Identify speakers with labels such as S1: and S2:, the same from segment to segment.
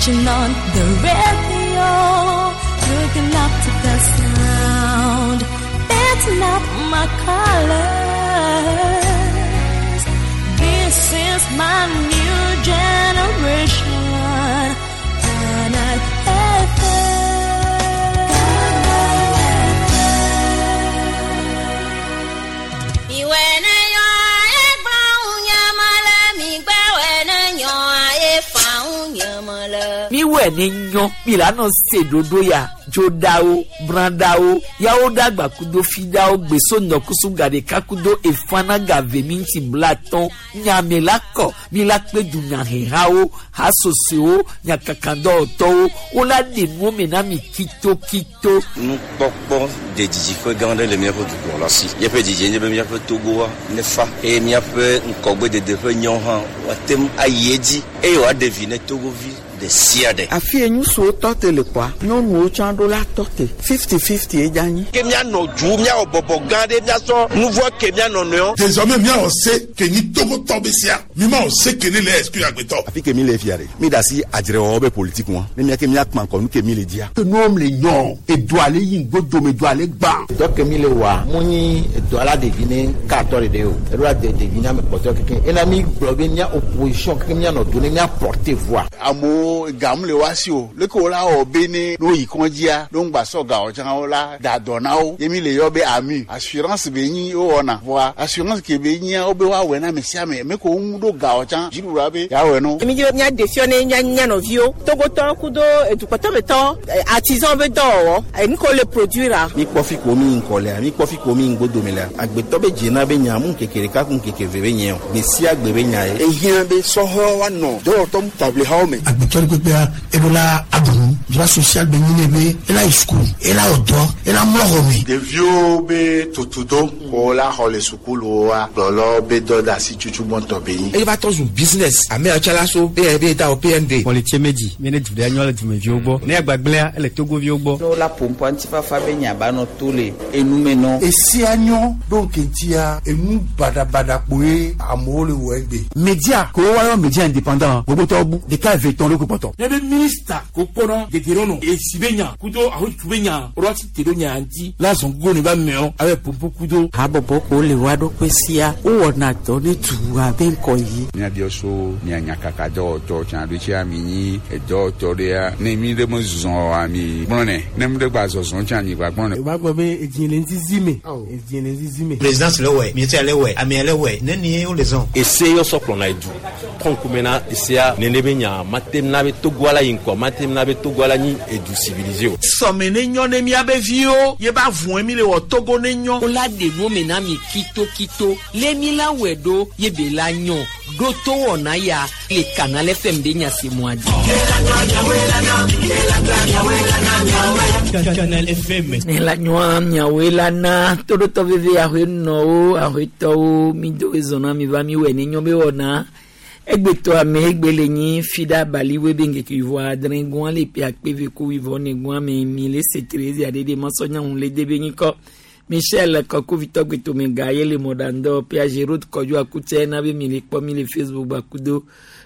S1: Switching on the radio, looking up to the sound. That's not my colors. This is my new generation. Canal
S2: Miwɛ ne nyɔ milano se dodo ya dzodawo bradawo yawo dagba kudo fidawo gbeso nɔkusu gaɖeka kudo efana gave minti blatɔn nyame la kɔ mi la kpe dunyahehawo hasosowo nyakakadɔwɔtɔwo wola ɖe nuwo me na mi kitokito.
S3: Nukpɔkpɔ de didiƒe gã aɖe le míaƒe dukplɔla si. Míaƒe didie nye be míaƒe Togoa nefa eye míaƒe ŋkɔgbedede ƒe nyɔ hã woate ŋu ayi edzi eye wòaɖe vi ne Togovi ɖe sia ɖe.
S4: Afi ye ŋutsuwo tɔ te le kɔa, nyɔnuwo tsã ɖo la tɔ te. 50-50 ye dze anyi.
S5: Ke míanɔ dzu, míawɔ bɔbɔ gã ɖe, míasɔ nu vɔ̃ ke mía nɔnɔewo.
S6: Désormais míawɔ se ke nyi Togotɔ be sea, mímawɔ se ke ne le exclure agbetɔ.
S7: Afi ke mi le fia ɖe, mi ɖe asi adzrewɔwɔ be politique ŋua, ne míake míakpã ŋkɔ nu ke mi le dzia.
S8: Ke nuwo le nyɔ, edoa le yi ŋgodome, edoa le gbã.
S9: Dɔ ke mi le wɔa, mu nyi edoa la ɖevi ne katɔ ɖeɖe o, eɖo la de ɖevi ne ame kpɔtɔe keke. Ena mi gblɔ be mía opposition keke míanɔ do ne mía porter voix.
S10: Amewo gam le wa si o, leke wo la wɔ be ne ne woyi kɔndzia, ne woŋgba sɔ ga o tsã wo la da dɔ na wo. Ye mi le yɔ be AMU, assurance be nyi wowɔna. Vɔa assurance ke be nyia wo be woawɔe na ame sia ame, ame ke wo ŋu ɖo ga o tsã, dziɖuɖua be yeawɔe na wo.
S11: Mi dzi be míaɖe fiɔ ne mía mía nɔviwo, Togotɔwo kudo edukpɔtɔmetɔ, artisan be dɔwɔwɔ, enu ke wole produire.
S12: Mi kpɔ fi ko mi ŋkɔ lea, mi kpɔ fi ko mi ŋgodome lea, agbetɔ be dzena be nya mu ŋkeke ɖeka ku ŋkeke ve be nye o, gbe sia gbe be nya ye.
S13: Ehiã be sɔhɛwo woanɔ dɔwɔtɔ taʋlihawo me.
S14: Agbetɔ ɖe kpekpea, eɖo la aɖu nu, droit social be nyi ne be ela yi sukulu, ela wɔ dɔ, ela mlɔ xɔ me.
S15: Ɖeviwo be tutudo ko la xɔ le sukuluwoa, kplɔlawo be dɔ de asi tutu gbɔntɔ be nyi.
S16: Eye va trɔ zu business. Ame yawo tsã la so be da o PND.
S17: Kpɔlitse medzi, mi ne du ɖe nyɔ le dumeviwo gbɔ. Ne agbagblẽa, ele Togoviwo gbɔ.
S18: Ne wola ƒoƒu ŋutifafa be nya ba nɔ to le enume nɔ.
S19: Esia nyɔ ɖo ŋkeŋtia, enu baɖabaɖa kpoe amewo le wɔ egbe.
S20: Media ko woayɔ media indépendant gbogbotɔwo bu ɖeka eve tɔn ɖo kpɔtɔ.
S21: Ne be minista ko kpɔnɔ dedienɔnɔ esi be nya kudo ahotu be nya ɖo asi te ɖo nya ŋuti la zɔn gogo ne ba meɔ abe pompo kudo.
S4: Habɔbɔ ko le wa ɖokui sia, wowɔna dɔ ne dua be ŋkɔ yi.
S22: Míabiɔ so mia nyakaka dɔwɔtɔ tsã ɖo tsia mi nyi edɔwɔtɔ ɖea ne mi ɖe me zɔ ami gblɔ nɛ ne mi ɖe gba zɔzɔ tsã mi gba gblɔ nɛ.
S23: O b'a gbɔ be edzi le ŋzizi me, edzi le ŋzizi me.
S24: Présidence le wɛ, ministère le wɛ, amea le wɛ, ne ni wo le zɔn.
S25: Ese yɔ sɔ kplɔna edu trɔnkume na esea nene be nya mate na be Togoa la yi ŋkɔ mate na be Togoa la nyi edu civilisé o.
S26: Sɔme ne nyɔ ne miabe viwo ye ba vɔe mi le wɔ Togo ne nyɔ.
S2: Wola ɖe nuwo me na mi kitokito le mi la wɔe ɖo ye be la nyɔ ɖo to wɔna ya le Canal FM be nya se mɔa dzi.
S27: Canal FM.
S2: Ne la nyɔa miawoe la na toɖotɔ veve ahoe nɔwo ahoetɔwo mi do ezɔna mi va mi wɔe ne nyɔ be wɔna. Egbetɔ ame egbe le nyi fida baliwe be ŋkeke wivɔ adre gɔn le pe akpe ve ko wivɔ ne gɔn ame mi le se Terezi aɖe ɖe masɔ nyaŋu le de be nyikɔ. Michel Kɔkuvitɔ gbetome ga ye le mɔɖaŋdɔ pia Gerard Kɔdzo akutse na be mi le kpɔ mi le Facebook gbakudo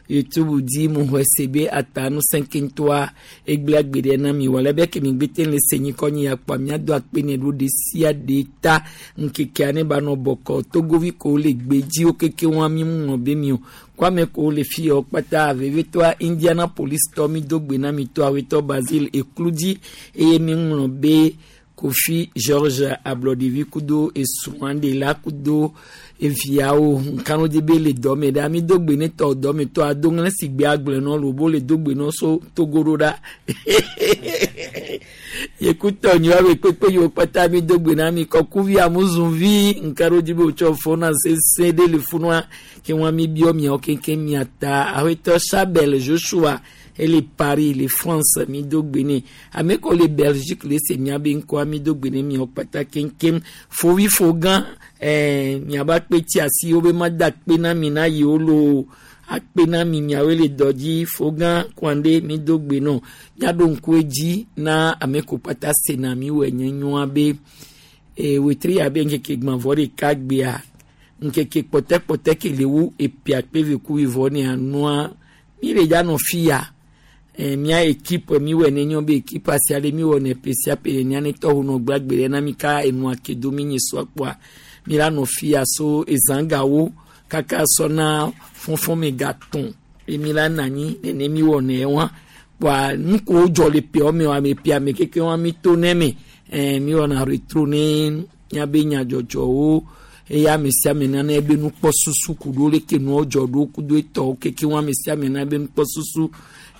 S2: YouTube dzi mu xɔe se be ata nusẽ keŋtɔa egblẽ agbe ɖe na mi wɔ le be kemi gbete le se nyikɔ nyi akpɔ miado akpe ne ɖo ɖe sia ɖe ta ŋkekea ne ba nɔ bɔkɔ Togovi ko le gbe dzi wo keke wɔn mi mu ŋlɔ be mi o kwame ko le fi yɔ kpata vevetɔa Indianapolis tɔ mi do gbe na mi tɔ awetɔ Basile Ekludzi eye mi ŋlɔ be Kofi George Ablɔɖevi kudo esrɔ̃a la kudo eviawo nkanu di be le dɔme ɖa mi do gbe ne tɔ dɔme tɔ ado ŋlẽ si gbe agblẽ nɔ lobo le do gbe nɔ so Togo ɖo ɖa yekutɔ nyi wa be kpekpe yiwo kpata mi do gbe na mi kɔkuvi amuzuvi nkanu di be wotsɔ fɔna sese ɖe le funua ke wɔn mi biɔ miawo keŋkeŋ miata awetɔ Chabel Joshua ele Paris le France mi do gbe ne ame ko le Belgique le se miabe ŋkɔa mi do gbe ne miawo kpata keŋkeŋ fovi fogã miaba kpe tsi asi wo be ma da kpe na mi na yiwo lo akpe na mi miawoe le dɔ dzi fogã kɔnde mi do gbe nɔ miaɖo ŋku edzi na ame ko kpata sena mi wɔ nye nyɔa be wetri abe ŋkeke gbãvɔ ɖeka gbea ŋkeke kpɔtɛkpɔtɛ ke le wu epia kpe ve ku wivɔ ne anua mi le dza nɔ fi ya. Mía équipe mi wɔ ne nyɔ be équipe asia ɖe mi wɔ ne ƒe sia ƒe nenia ne tɔwo nɔ gbagbe ɖe na mi ka enua ke do mi nye sɔ kpɔa mi la nɔ fia so ezãgawo kaka sɔ na fɔfɔ me gatɔn eye mi la nɔ anyi nene mi wɔ ne wa kpɔa nukowo dzɔ le ƒeawo me wa ame ƒea me keke wa mi to ne me mi wɔna retro ne miabe nyadzɔdzɔwo eye ame sia ame nana ebe nukpɔsusu ku ɖo leke nuwo dzɔ ɖo kudo etɔwo keke wa ame sia ame nana ebe nukpɔsusu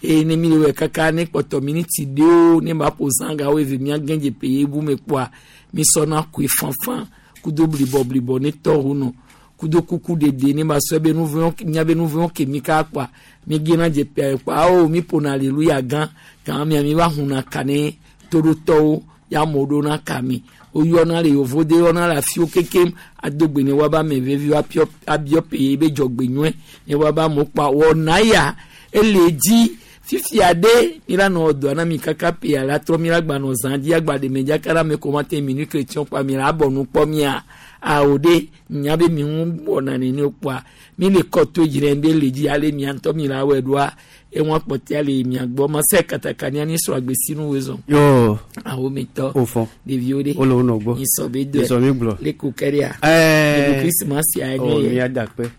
S2: eye ne mi le wɔ kaka ne kpɔtɔ miniti ɖewo ne ba ƒo zã gawo eve mia gɛn dze ƒe ye bu me kpɔa mi sɔna koe fanfan kudo blibɔ blibɔ ne tɔwo nɔ kudo kuku ɖeɖe ne ba sɔ ebe nuvɔ̃ miabe nuvɔ̃ ke mi ka kpɔa mi gena dze ƒea kpɔa awo mi ƒona aleluya gã gã mia mi va huna ka ne toɖotɔwo ya amewo ɖo na ka mi woyɔna le yovode yɔna le afiwo kekem adogbe ne woaba ame vevi abiɔ abiɔ ƒe ye be dzɔgbe nyɔe ne woaba amewo kpɔa wɔna ya ele dzi fifia ɖe mi la nɔ dɔa na mi kaka ƒea la trɔ mi la gba nɔ zã dzi agba ɖe me dzi aka ɖe ame ko ma te minui chrétien kpɔa mi la abɔ nu kpɔ mia awo ɖe nya be mi ŋu wɔna nene kpɔa mi le kɔ to dzi ɖe be le dzi ale mia ŋutɔ mi la wɔe ɖoa eŋua kpɔtɛa le mia gbɔ ma se kataka nia ni srɔ̃ agbesinu woe zɔn.
S17: Yo.
S2: Awo mi tɔ.
S17: O fɔ.
S2: Ɖeviwo ɖe.
S17: Wole wo nɔ gbɔ.
S2: Mi sɔ be dɔe.
S17: Mi sɔ mi gblɔ.
S2: Le ko kɛ ɖea.
S17: Ɛɛ.
S2: Le Christmas ya
S17: O
S2: nye
S17: mi
S2: yɛ.
S17: ada kpe.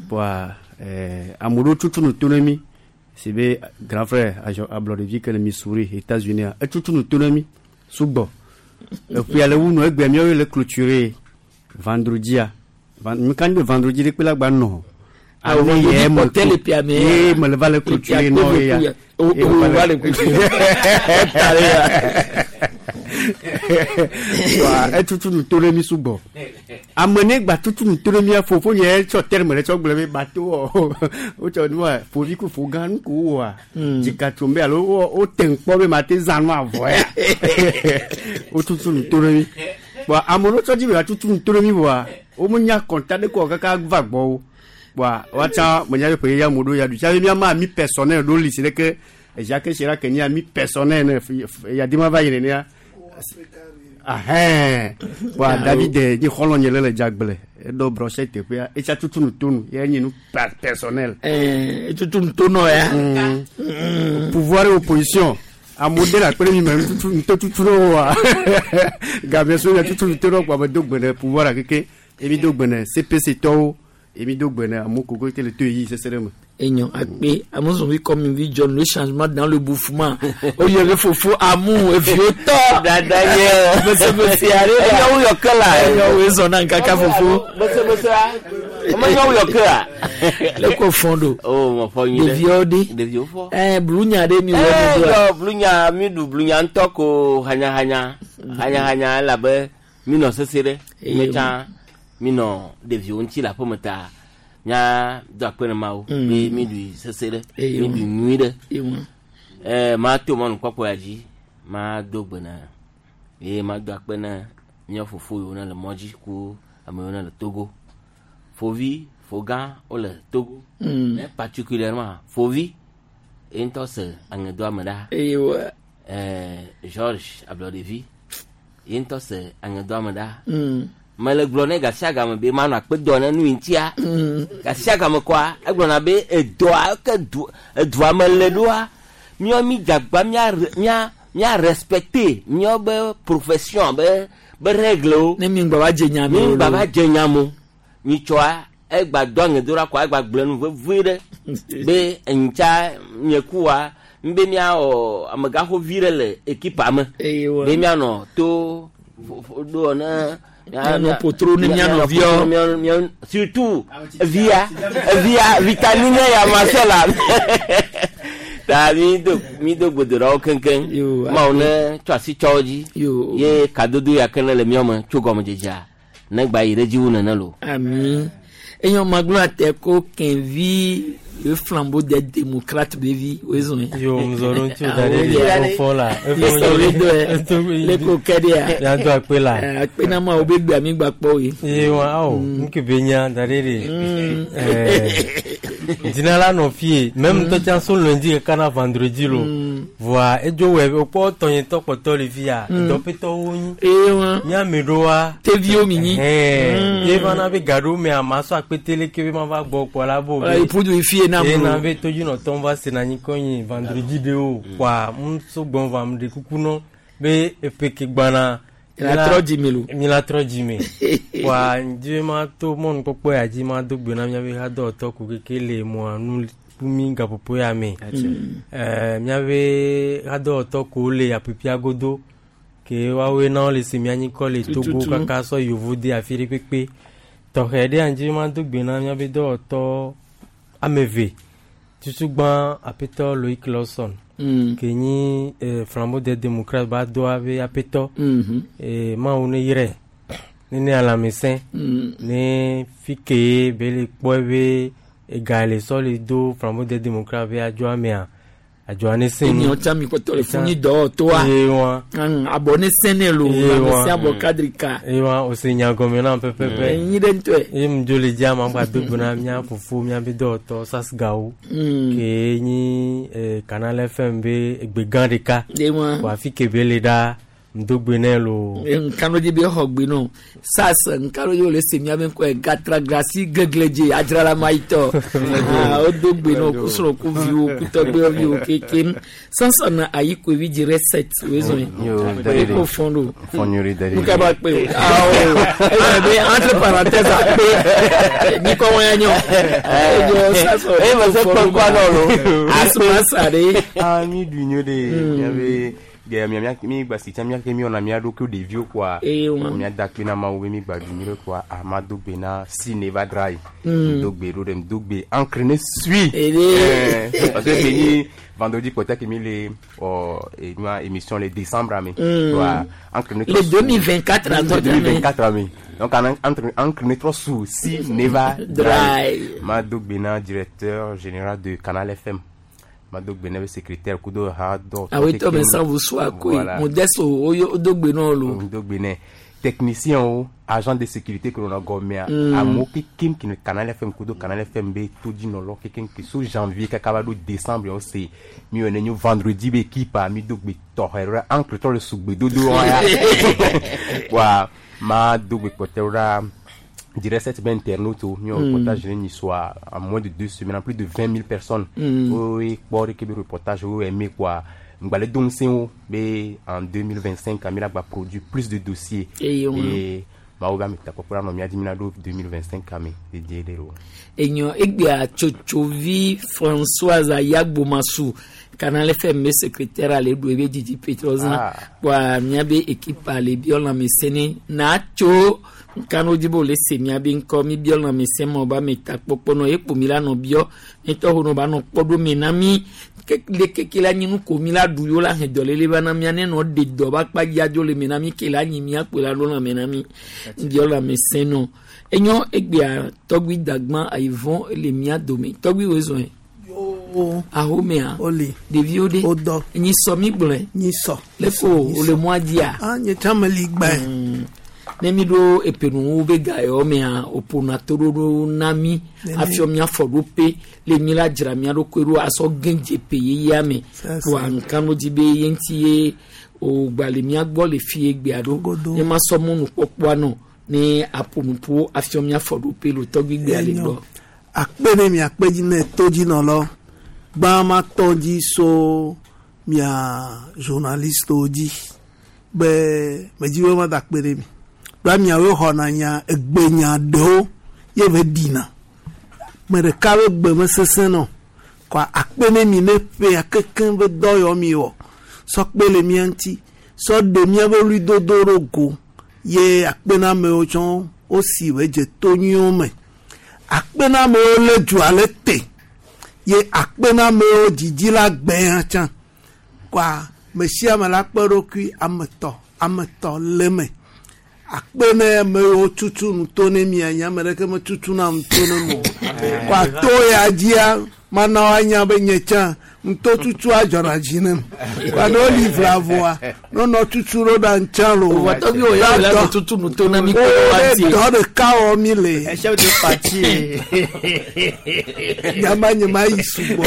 S17: Bɔa ame ɖewo tutu nu to ne mi si be grand frère azɔ ablɔɖevi ke le Missouri États-Unis etutu nu to ne mi sugbɔ. Eƒea le wu nu egbea míawoe le clôturer vendredia. Mi kan be vendredi ɖe kpe la gba nɔ.
S2: Ah, vendredi kpɔtɛ le ƒea me.
S17: Ye me le va le
S2: Le ƒea
S17: clôturer
S2: kpe
S17: nɔ
S2: ve
S17: ya.
S2: kuya. O
S17: Ye
S2: o
S17: me
S2: va le clôturer. Ta le ya.
S17: Wa etutu nu to ɖe mi sugbɔ. Ame ne gba tutu nu to ɖe mia fofo nye tsɔ terme ɖe tsɔ gblɔ be bateau wɔ wotsɔ nua fovi ku fo gã nu ko wɔa. Dzika tso be alo wo wote ŋkpɔ be ma te zã nu avɔ ya. Wotutu nu to ɖe mi. Bɔn ame ɖewo tsɔ dzi be yewoatutu nu to ɖe mi vɔa womenya kɔnta ɖe ko kaka va gbɔ wo. Bɔn woatsã menya be ƒe ya mo ɖo ya ɖu. Tsa be miama ami personnel ɖo li si ɖeke Jacques Chirac nye ami personnel ne yadi ma va yi nenea. Ahɛn. Bɔn David nye xɔlɔ̃ nye le le dzagble eɖo brochette teƒea etsa tutu nu to nu ye nye nu personnel.
S2: Etutu nu to nɔ ya.
S17: Pouvoir et opposition amewo de le akpe ɖe mi me nututu nutotutu ɖe woa game so ya tutu nu to ɖe kpɔ ame do gbe ɖe pouvoir keke emi do gbe ɖe CPC tɔwo emi do gbe ɖe amewo koko te le to yi sese ɖe me.
S2: Enyo akpe amuzɔnvi comme vi John le changement dans le bouffement oyè be fofo amu eviwo tɔ.
S1: Dada ye.
S2: Bese are la.
S1: Enyo wuyɔ ke la.
S2: Enyo wo zɔn na nkaka fofo.
S1: Bese bese a. Ɔmɔ enyo wuyɔ ke la.
S2: Le ko fɔn do.
S1: O mɔ fɔ nyuie ɖe.
S2: Ɖeviwo ɖe.
S1: Ɖeviwo fɔ.
S2: Ɛɛ blunya ɖe mi wɔ
S1: Ee
S2: mi do.
S1: yɔ blunya mi ɖu blunya ŋutɔ ko hanyahanya hanyahanya elabe mi nɔ sese ɖe. Mi tsã mi nɔ ɖeviwo ŋuti le aƒeme ta mía do akpe ne Mawu be mi ɖui sese ɖe mi ɖui nyui ɖe. Ɛɛ ma to mɔnukpɔkpɔ ya dzi ma do gbe na ye ma do akpe na mía fofo yiwo ne le mɔ dzi ku ame yiwo ne le Togo. Fovi fogã wole Togo. Ne particulièrement fovi ye ŋutɔ se aŋedoame ɖa.
S2: Eyiwa.
S1: Ɛɛ George Ablɔɖevi ye ŋutɔ se aŋedoame ɖa. Mele gblɔ ne gasia game be manɔ akpe dɔ ne nu yi ŋutia. Gasia game kɔa egblɔna be edɔa ke du edua me le ɖoa míawo mi dzagba mía mía mía respecter míawo be profession be be règlewo.
S2: Ne mi ŋgbɔ va dze nya me
S1: Mi
S2: o.
S1: ŋgbɔ va dze nya me o. Mi tsɔa egba do aŋedo ɖa kɔa egba gblẽ nu vevie ɖe be ŋutsa nye kua ŋbe míawɔ amegaxovi ɖe le ekipa me.
S2: Eyiwa.
S1: Be míanɔ to ɖo ne.
S2: Mianɔ potro ne mía nɔviwo.
S1: Mianɔ surtout via via vitamine ya ma se la. Ta mi do mi do gbedoɖawo keŋkeŋ. Mawu ne tsɔ asi tsɔ wo dzi. Ye kadodo ya ke ne le míawo me tso gɔmedzedzea ne gba yi ɖe dzi wu nene lo.
S2: Ami. Enyo maglo ate ko kenvi le flambeau des démocrates bevi wezon.
S3: Yo, mzoro ŋuti da ɖe ɖe efɔ la.
S2: Efɔ le do ɛ. Le ko kɛ de ya.
S3: Ya do akpe la.
S2: Akpe na ma wo be gbe ami gba kpɔ ye.
S3: Ye wa awo nke be nya da ɖe ɖe. Ɛɛ Dina la nɔ fie même ŋutɔ tsã so lundi kaka na vendredi lo. Voa edzo wɔ wokpɔ tɔnyetɔ kpɔtɔ le fia. Dɔpetɔwo nyi.
S2: Eye wa.
S3: Míame ɖoa.
S2: Teviwo mi nyi.
S3: Ɛɛ ye va na be gaɖo mea ma sɔ akpete leke be ma va gbɔ kpɔ la bo.
S2: Wala ipudu ifie na
S3: Ye na
S2: mu.
S3: be todzinɔtɔwo va se na anyi kɔ nyi vendredi ɖewo. Kɔa ŋu gbɔn va mu ɖe kuku nɔ be eƒe ke gbana.
S2: La trɔ dzime lo.
S3: Mi la trɔ dzime. Kɔa ŋdi be ma to mɔnukpɔkpɔ ya dzi ma do gbe na míabe hadɔwɔtɔ ko keke le mɔa nu ku mi gaƒoƒo ya me. Ɛɛ míabe hadɔwɔtɔ kowo le aƒeƒia godo ke woawoe na wole se mía nyikɔ le Togo
S2: Tututu.
S3: kaka sɔ yevu de afi ɖe kpekpe. Tɔxɛ ɖe ŋdi be ma do gbe na míabe dɔwɔtɔ ame eve. Tutugbã aƒetɔ Loic Lawson. Ke nyi Flambeau des démocrates ba doa be aƒetɔ. Mawu ne yrɛ ne ne lãmesẽ ne fi ke be le kpɔe be ega le sɔ le do Flambeau des démocrates be adzɔa mea adzɔa ne sẽ
S2: Emiɔ tsã mi kpɔtɔ le funyi dɔwɔtɔa.
S3: Ye wa.
S2: Abɔ ne sẽ ne lo.
S3: Ye wa.
S2: Lãmesẽ abɔ kadrika.
S3: Ye wa o se nya gɔme na pɛpɛpɛ.
S2: Enyi ɖe ŋutɔe.
S3: Ye mu dzo le dzia ma gba do gbe na mía fofo míabe dɔwɔtɔ Sasgawo. Ke nyi Canal FM be egbe gã ɖeka.
S2: Ye wa.
S3: Ko afi ke be le ɖa ŋdo gbe nɛ lo.
S2: Nkano dzi be xɔ gbe nɔ sas nkano dzi wòle se miabe ŋkɔe gatragrasi gegledze adzralama yitɔ Ah, wodo gbe nɔ kusrɔ̃ ku viwo kutɔgbeviwo kekem sansan ayi koevi dzi recet wezɔn
S5: Yo,
S2: ye
S5: Dalili.
S2: ko fɔn do
S5: Fɔn nyuie Dalili.
S2: nuka ba kpe o awo eyɔ be entre parenthèse akpe nyikɔ wɔn ya nyɔ eyɔ sasɔ
S1: Eh, mais c'est pas quoi, non, lo.
S2: asumasa de.
S5: Ah, mi du nyo de miabe ge mia mia mi gba si tsa mia ke mi wɔna mia ɖokuiwo ɖeviwo kɔa
S2: Eye wa.
S5: mia da akpe na mawu be mi gba du nyuie kɔa ama do gbe na si ne va dra yi do gbe ɖo ɖe do gbe encre ne sui
S2: Ede.
S5: Eh, parce que ni vendredi kɔtɛ ke mi le ɔ enua émission le décembre ame Wa, encre ne
S2: Le 2024 en
S5: Le 2024 ame donc en- entre encre ne trɔ su si ne va
S2: Dry.
S5: ma do gbe na directeur général de Canal FM ma do gbe na be secrétaire kudo ha dɔ
S2: awetɔ mɛ sanfo so akoe
S5: Voilà.
S2: modesto odo gbe nɔ lo.
S5: do gbe nɛ technicien o agent de sécurité ke nɔ gɔmea amewo kekem ke ne Canal FM kudo Canal FM be todzinɔlɔ kekem ke so janvier kaka va ɖo décembre wo se mi wɔ ne nyo vendredi be équipe a mi do gbe tɔxɛ ɖo encre tɔ le sugbedodo wa ya wa ma do gbe kpɔtɛwo ɖa direct cette ben internaute o mi wɔ reportage ne nyi soa en moins de 2 semaines en plus de 20 000 personnes woe kpɔ ɖeke be reportage wo aimé quoi ŋgbalẽ do ŋusẽ wo be en 2025 mi la gba produit plus de dossiers
S2: Eye wa.
S5: et mawu be ametakpɔkpɔ la nɔ mía dzi mi la ɖo 2025 ame dedie ɖe o.
S2: Enyɔ egbea tsotsovi Françoise Ayagbomasu Canal FM be secrétaire ale ɖu ebe dzidzi petrɔzã
S5: Ah.
S2: kpoa miabe équipe ale biɔ lãmesẽ ne na tso nkanu dzi be wòle se miabe ŋkɔ mi biɔ lãmesẽ ma ba ametakpɔkpɔ nɔ ye kpo mi la nɔ biɔ ne tɔxɔ nɔ ba nɔ kpɔ ɖo me na mi ke le keke la nyi nu ko mi la ɖu yewo la hẽ dɔléle va na mia ne nɔ ɖe dɔ ba kpa dzi adzo le me na mi ke la nyi mia kpo la ɖo lãme na mi biɔ lãmesẽ nɔ enyɔ egbea tɔgbi dagbã ayivɔn le mia dome tɔgbi wo zɔn ahomea
S6: Oli.
S2: ɖeviwo ɖe
S6: Wodɔ.
S2: nyi sɔ mi gblɔe
S6: Nyi sɔ.
S2: le ko wòle mɔa dzia
S6: Ah, nye tsã meli gbãe.
S2: ne mi ɖo epenuwo be ga yawo mea wòƒona toɖoɖo na mi
S6: Nene.
S2: afiɔ mia fɔ ɖo pe le mi la dzra mia ɖokui ɖo asɔ gẽ dze pe yeyea me
S6: Sese.
S2: kpoa nka no dzi be ye ŋuti ye wògba le mia gbɔ le fi egbea ɖo ne ma sɔ mɔnukpɔkpɔa nɔ ne aƒonuƒo afiɔ mia fɔ ɖo pe le tɔgbi gbea le
S6: Enyo.
S2: gbɔ.
S6: Akpe ne mia kpe dzi ne todzinɔlɔ. Gbã ma tɔ dzi so mia journalistewo dzi be medzi be mada akpe ɖe mi. Ɖoa miawoe xɔna nya egbenya ɖewo ye be ɖina. Me ɖeka be gbe mesesẽ nɔ. Kɔa akpe ne mi ne ƒea kekeŋ be dɔ yɔ mi wɔ. Sɔ kpe le mia ŋuti. Sɔ ɖe miabe ɣlidodo ɖo go ye akpe na amewo tsɔ wosi be dze to nyuiwo me. Akpe na amewo lé dua le te ye akpe na amewo dzidzi la gbɛ hã tsã kɔa me sia ame la kpe ɖokui ame tɔ ame tɔ le me akpe ne amewo tutu nu to ne mia nye ame ɖeke metutu na nu to ne mo o kɔa to ya dzia mana woanya be nye tsã Ŋtotutu adzɔna dzi nem. Wa ne woli vlavoa, ne wonɔ tutu ɖo ɖa ŋtsã lo.
S2: Vɔ tɔgbi wo ya wòle nɔ tutu nu to na mi
S6: Wo
S2: kple
S6: ne
S2: parti.
S6: dɔ ɖeka wɔ mi le.
S17: Chef de parti.
S6: Nyama nye ma yi sugbɔ.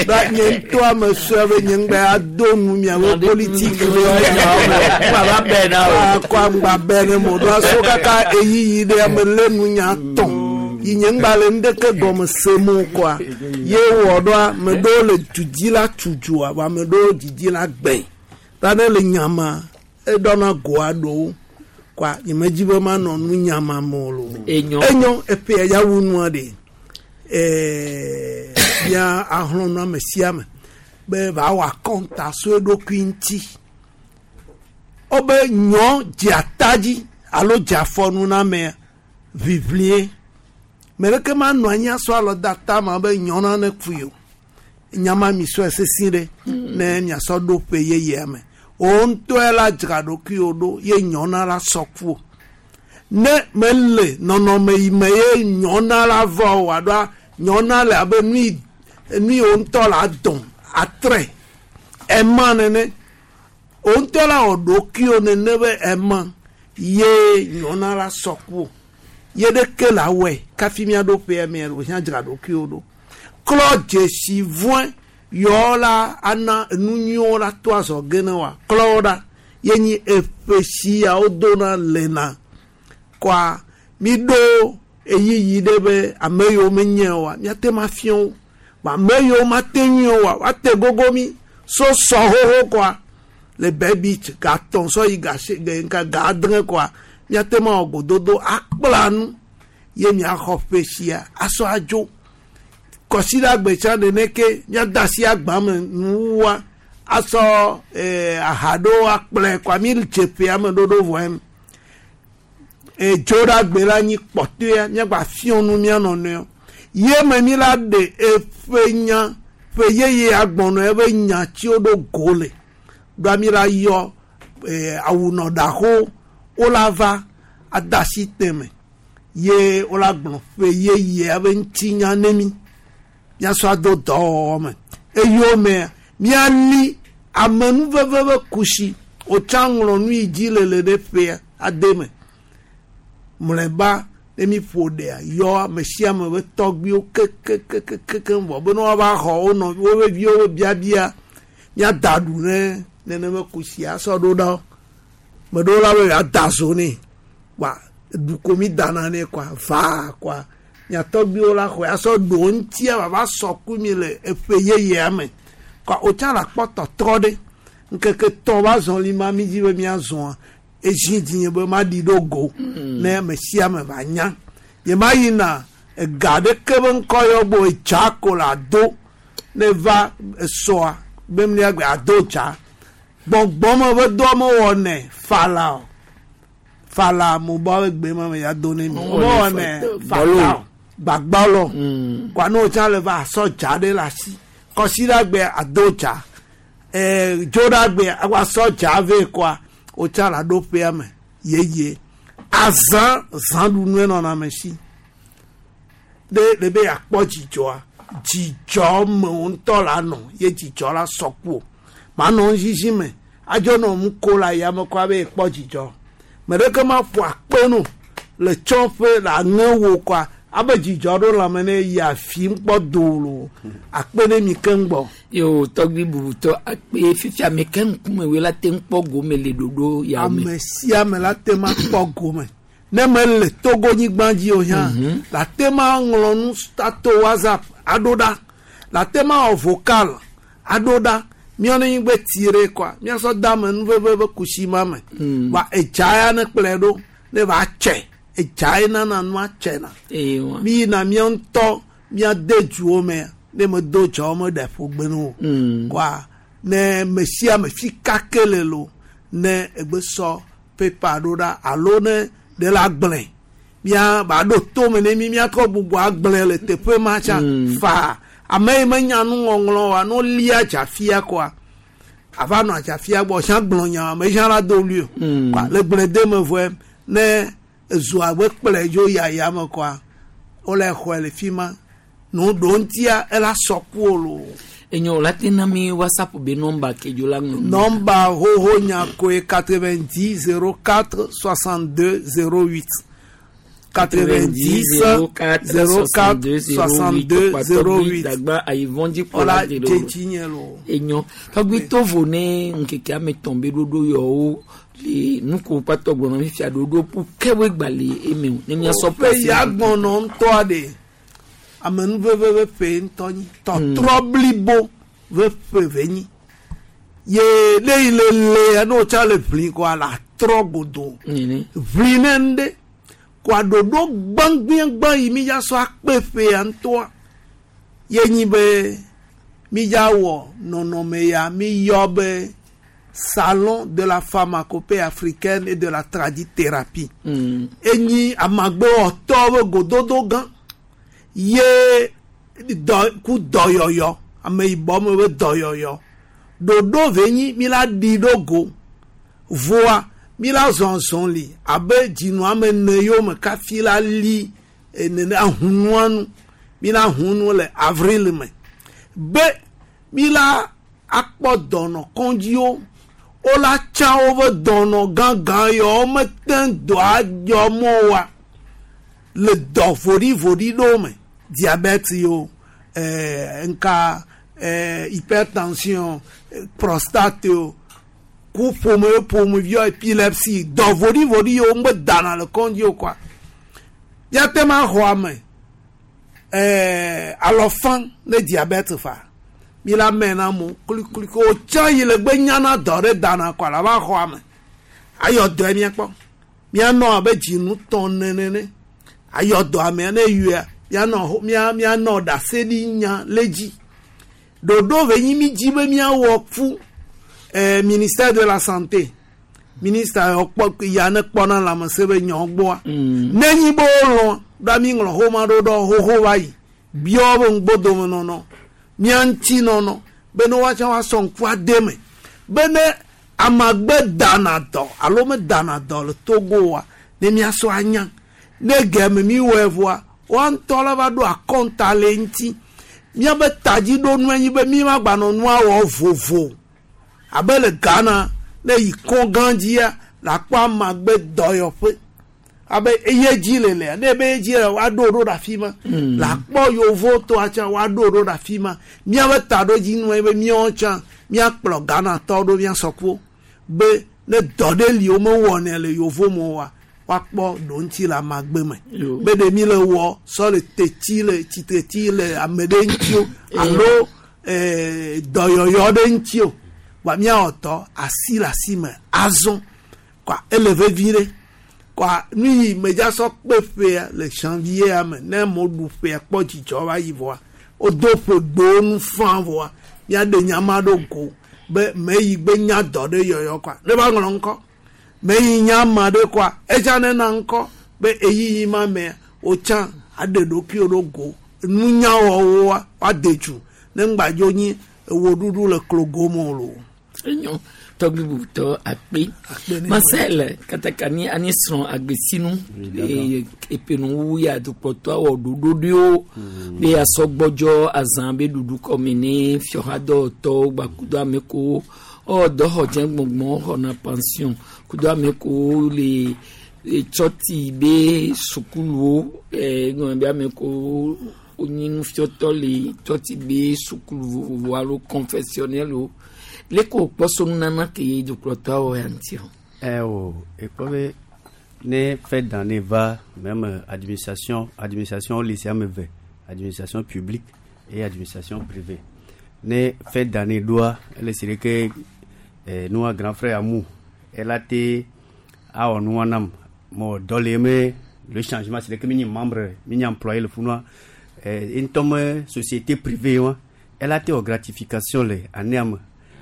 S6: Ba nye ŋutɔ ame sue be nye ŋgba ado nu miawo politiki be
S2: Ŋgba bɛ na o.
S6: Akɔ ŋgba bɛ ne mo. Ɖo aso kaka eyiyi ɖe ame lé nu nya tɔn. Yi nye ŋgba le ŋɖeke gɔme se mo kɔa. Ye wɔ ɖoa ame ɖewo le dudi la tu dzoa, vɔ ame ɖewo didi la gbɛ. Ta ne le nyama, eɖɔna goa ɖewo. Kɔa nye me dzi be manɔ nu nyama me o lo.
S2: Enyo.
S6: Enyo eƒe ya wu nua ɖe. Mía ahlɔ nu ame sia ame be va wɔ akɔnta so eɖokui ŋuti. Wobe nyɔ dze ata dzi alo dze afɔnu na amea ʋiʋlie. Me ɖeke manɔ anyi asɔ alɔ de ata ma be nyɔ nane kui o. Nyama mi sɔe sesi ɖe ne miasɔ ɖo ƒe yeyea me. Wo ŋutɔe la dzra ɖokuiwo ɖo ye nyɔna la sɔ ku o. Ne mele nɔnɔme yi me ye nyɔna la vɔ o alo nyɔna le abe nu yi nu yi wo ŋutɔ la dɔn atre ema nene. Wo ŋutɔ la wɔ ɖokuiwo nene be ema ye nyɔna la sɔ ku o. Ye ɖeke la wɔe kafi miaɖo ƒea mea wòhiã dzra ɖokuiwo ɖo. Klɔ dzesi vɔe yɔ la ana enu nyuiwo la to azɔge ne wa klɔ wo ɖa ye nyi eƒe si yawo dona lena kɔa mi ɖo eyiyi ɖe be ame yiwo menye oa míate ma fia wo Vɔ ame yiwo mate ŋui o wa woate gogo mi so sɔ xoxo kɔa le Bay Beach gatɔ̃ sɔ yi gasi nka ga adre kɔa míate ma wɔ gododo akpla nu ye miaxɔ ƒe sia asɔ adzo kɔsiɖagbe tsã neneke míade asi agba me nuwua asɔ aha ɖewo akplɔe kɔa mi dze ƒea me ɖoɖo vɔe edzoɖagbe la nyi kpɔtɔea míagba fiɔ nu mía nɔnɔewo ye me mi la ɖe eƒe nya ƒe yeye agbɔnɔ eƒe nya tsiwo ɖo go le ɖoa mi la yɔ awunɔɖaxo wo la va ade asi teme ye wo la gblɔ ƒe yeyea ƒe ŋutinya ne mi míasɔ ado dɔwɔwɔ me eyomea míali amenuveve ƒe kusi wòtsã ŋlɔ nu yi dzi le le ɖe ƒea ade me mlɔeba ne mi ƒo ɖea yɔ ame sia ame ƒe tɔgbiwo kekekekeke vɔ be ne woava xɔ wo nɔvi wo viwo ƒe biabia míada ɖu ne nenema kusia asɔ ɖo ɖa wo me ɖewo la be yewoada zo nɛ wa ɖu ko mi dana nɛ kɔa vaa kɔa mia tɔgbiwo la xɔe asɔ ɖo ŋutia vava sɔ ku mi le eƒe yeyea me kɔa wotsã le akpɔ tɔtrɔ ɖe ŋkeke tɔn va zɔli ma mi dzi be miazɔa ezi dzinye be maɖi ɖo go ne ame sia ame va nya nye ma yina ega ɖeke be ŋkɔ yɔ gbɔ edza ko le ado ne va esɔa be mlia gbe ado dza gbɔngbɔn me ƒe dɔ mewɔnɛ fala o fala mo bɔ be gbe ma me ya do ne mi mewɔnɛ fala o gbagbɔlɔ kɔa ne wotsã le va asɔ dza ɖe le asi kɔsiɖagbe ado dza dzoɖagbe asɔ dza vɛ kɔa wotsã le aɖo ƒea me yeye azã zãɖunue nɔna ame si ɖe le be yeakpɔ dzidzɔa dzidzɔ me wo ŋutɔ la nɔ ye dzidzɔ la sɔ ku o manɔ ŋzizi me adzɔ nɔ nu ko le ayame kɔ abe yekpɔ dzidzɔ me ɖeke ma ƒo akpe no le tsɔƒe le aŋe wo kɔa abe dzidzɔ ɖo lãme ne yi afi ŋkpɔ do lo akpe ɖe mi keŋ gbɔ.
S2: Yo tɔgbi bubutɔ akpe fifia ame ke ŋkume woe la te ŋu kpɔ gome le ɖoɖo ya me.
S6: Ame sia ame la te ma kpɔ gome ne mele Togo nyigba dzi o hã la te ma ŋlɔ nu ato WhatsApp aɖo ɖa la te ma wɔ vocal aɖo ɖa míawo ne nyigbe tire kɔa míasɔ da ame nuveve ƒe kusi ma me wa edza ya ne kplɔe ɖo ne va tse edza ye nana nua tsena mi yina míawo ŋutɔ míade duwo me ne me do dza me ɖe ƒogbe ne o kɔa ne me sia me fi kake le lo ne egbe sɔ pepa ɖo ɖa alo ne ɖe la gblẽ mía ba ɖo tome ne mi míatrɔ gbogbo agblẽ le teƒe ma tsã faa ame yi menya nuŋɔŋlɔ wa no lia dzafia kɔa ava nɔ adzafia gbɔ sia gblɔ nya ame sia la do wuli o kɔa le gblẽ de me vɔe ne ezu abe kplɔe dzo yaya me kɔa wole xɔe le fi ma nu ɖo ŋutia ela sɔ ku o lo.
S2: Enyo la te na mi WhatsApp be nɔmba ke dzo la ŋlɔ.
S6: Nɔmba xoxo nya koe 90 04 62 08. 90 04 62 08.
S2: Dagba ayivɔn dzi kpɔ
S6: Ɔla
S2: la te ɖo.
S6: dzetsi nye lo.
S2: Enyo tɔgbi tovo ne ŋkeke ame tɔn be ɖoɖo yɔwo le nuko kpatɔ gblɔnɔ fifia ɖoɖo ƒu kewoe gba le eme o ne miasɔ
S6: Ƒe ya gbɔnɔ ŋutɔa ɖe amenuveve ƒe ƒe ŋutɔ nyi tɔtrɔ blibo ƒe ƒe ve nyi ye ne yi le lea ne wotsa le ʋli kɔa la trɔ godo ʋli ne ŋɖe kɔa ɖoɖo gbãgbiagbã yi mi dza sɔ akpe ƒea ŋutɔa ye nyi be mi dza wɔ nɔnɔme ya mi yɔ be salon de la pharmacopée africaine et de la tradithérapie. Enyi amagbewɔtɔ be gododo gã ye dɔ ku dɔyɔyɔ ameyibɔ me be dɔyɔyɔ ɖoɖo ve nyi mi la ɖi ɖo go voa mi la zɔzɔn li abe dzinu ame ene yiwo me kafi la li nene ahunua nu mi la hun nu le avril me be mi la akpɔ dɔnɔ kɔndziwo wola tsã woƒe dɔnɔ gãgã yawo mete dɔ adzɔ mɔ wa le dɔ voɖivoɖi ɖewo me diabète yo nka hypertension prostate yo ku ƒome ƒomeviwo épilepsie dɔ voɖivoɖi yiwo ŋgbe dana le kɔndzi o kɔa míate ma xɔ ame alɔfã ne diabète fa mi la mɛ na mo kulikuli ko tsã yi le gbe nyana dɔ ɖe dana kɔa la va xɔ ame ayɔ dɔe miakpɔ mianɔ abe dzinu tɔn nenene ayɔ dɔ amea ne yɔa mianɔ mia mianɔ ɖase ɖi nya le dzi ɖoɖo ve nyi mi dzi be miawɔ fu ministère de la santé ministre yɔ kpɔ ya ne kpɔna lãmesẽ be nyɔ gbɔa ne nyi be wolɔ̃ ɖa mi ŋlɔ xoma ɖo ɖɔ xoxo va yi biɔ be ŋgbodome nɔnɔ mia ŋuti nɔnɔ be ne woatsã woasɔ ŋku ade me be ne amagbe dana dɔ alo medana dɔ le Togo wa ne miasɔ anya ne gɛme mi wɔe vɔa woa ŋutɔ la va ɖo akɔnta le ŋuti miabe tadziɖonue nyi be mi ma gbanɔ nua wɔ vovo abe le Ghana ne yi kɔn gã dzia la kpɔ amagbe dɔyɔƒe abe eye dzi le lea ne ebe ye dzi le woaɖo ɖo ɖe afi ma la kpɔ yovotɔa tsã woaɖo ɖo ɖe afi ma miabe taɖodzinue be míawo tsã míakplɔ Ghanatɔwo ɖo míasɔ ku be ne dɔ ɖe li womewɔnɛ le yovo me oa woakpɔ ɖo ŋuti le amagbe me be ɖe mi le wɔ sɔ le tetsi le tsitretsi le ame ɖe ŋuti o alo dɔyɔyɔ ɖe ŋuti o wa míawɔ dɔ asi le asi me azɔ kɔa ele vevi ɖe kɔa nu yi medza sɔ kpe ƒea le janvier me ne mo ɖu ƒea kpɔ dzidzɔ va yi vɔa wodo ƒe gbowo nu fã vɔa míaɖe nyama ɖo go be me yi gbe nya dɔ ɖe yɔyɔ kɔa ne va ŋlɔ ŋkɔ me yi nya ama ɖe kɔa edza ne na ŋkɔ be eyiyi ma mea wotsã aɖe ɖokuiwo ɖo go nunyawɔwɔa woade dzu ne ŋgbadzo nyi ewoɖuɖu le klogo me o loo.
S2: Enyo tɔgbi bubutɔ akpe Marcel katakani ani srɔ̃ agbesinu epenu ya dukplɔtɔ awɔ ɖoɖo ɖewo be asɔ gbɔdzɔ azã be ɖuɖu kɔme ne fiɔhadɔwɔtɔwo gbakudo ame kowo ɔ dɔxɔdze gbɔngbɔn xɔna pension kudo ame kowo le tsɔti be sukuluwo egɔme be ame kowo wonyi nufiɔtɔ le tsɔti be sukulu vovovo alo confessionnel wo leke wòkpɔ so nunana ke ye dukplɔtɔ awɔ ya ŋuti o.
S17: Ɛ o ekpɔ be ne fin d'année va même administration lycée ame eve administration publique et administration privée ne fin d'année ɖoa ele si ɖeke nua grand frère amu ela te awɔ nua nam mɔ dɔ le me le changement c'est que mi nyi membre mi nyi employé le funua ŋutɔ me société privée wa ela te wɔ gratification le année me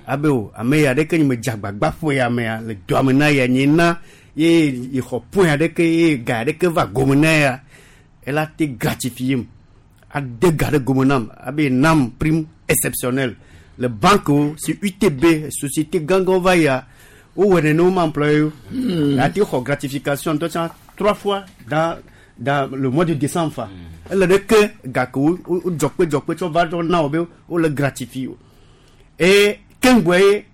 S17: abe o ame ya ɖeke nyi me dze agbagba ƒo ya mea le dɔa me na ya nye na ye yexɔ point aɖeke ye ga aɖeke va gome na ya ela te gratifier m ade ga ɖe gome nam abe nam prime exceptionnelle le banque wo si UTB société gãgãwo va yia wowɔ nene wo ma employé wo ate xɔ gratification ŋutɔ tsã trois fois dans dans le mois de décembre fa. Ele ɖe ke gake wo wo dzɔkpe dzɔkpe tsɔ va tsɔ na wo be wole gratifie wo. Et keŋgbɔe ye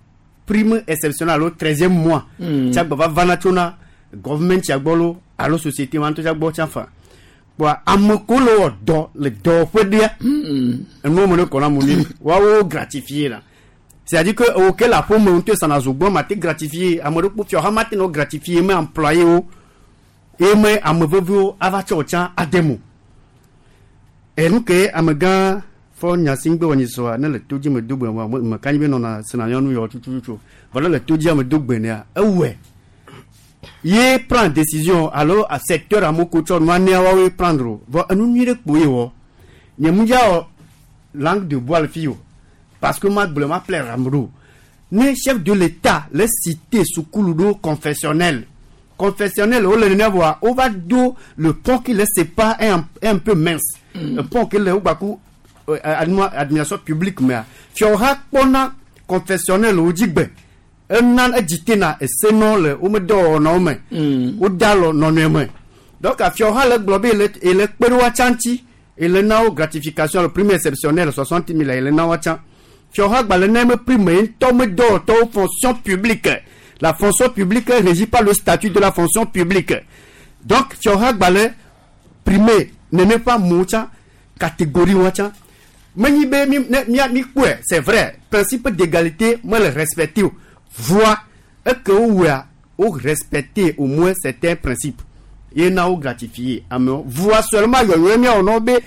S17: prime exceptionnelle alo 13e mois tsa gba va vana tsona government tsa gbɔ lo alo société ma ŋutɔ tsa gbɔ tsa fa. Kpoa ame ko le wɔ dɔ le dɔwɔƒe ɖea, enuwo me ne kɔ na mo nyuie, woawo gratifie la. C'est-à-dire que ewo ke le aƒeme ŋutɔ sana zogbɔ ma te gratifier ame ɖe kpo fiaha ma te nɔ gratifier me employé wo ye me ame veviwo ava tsɔ tsã ade mo. Enu ke amegã fɔ nya si ŋgbe wɔ nyi sɔa ne le to dzi me do gbe me me ka nyi be nɔna sena nyɔnu yɔ tututu vɔ ne le to dzia me do gbe nea ewɔe ye prend décision alo a secteur amewo ko tsɔ nua nea woawoe prendre o vɔ enu nyui ɖe kpo ye wɔ nye mu dza wɔ langue de bois le fi o parce que ma gblɔ ma plaire ame ɖo ne chef de l'état le cité sukulu ɖo confessionnel confessionnel wole nene vɔa wova do le pont qui les sépare est un, est un peu mince. Le pont qui le wogbaku administration publique mea fiawoha kpɔna confessionnel wo dzi gbe ena edzitena esenɔ le wo dɔwɔnawo me. Woda alɔ nɔnɔe me donc fiawoha le gblɔ be ele ele kpe ɖe woatsa ŋuti ele na wo gratification le prime exceptionnelle 60 000 ele na woatsa fiawoha gba le na eme prime ye ŋutɔ me dɔwɔtɔwo fonction publique. La fonction publique est régie par le statut de la fonction publique. Donc fiawoha gba le prime nene ƒe amewo tsã catégorie wa tsã menyi be mi ne mia mi kpɔe. C'est vrai, principe d'égalité mele respecté o voa eke wowɔa wo respecté au moins certains principes ye na wo gratifier amewo voa seulement yɔyɔe miawɔ na wo be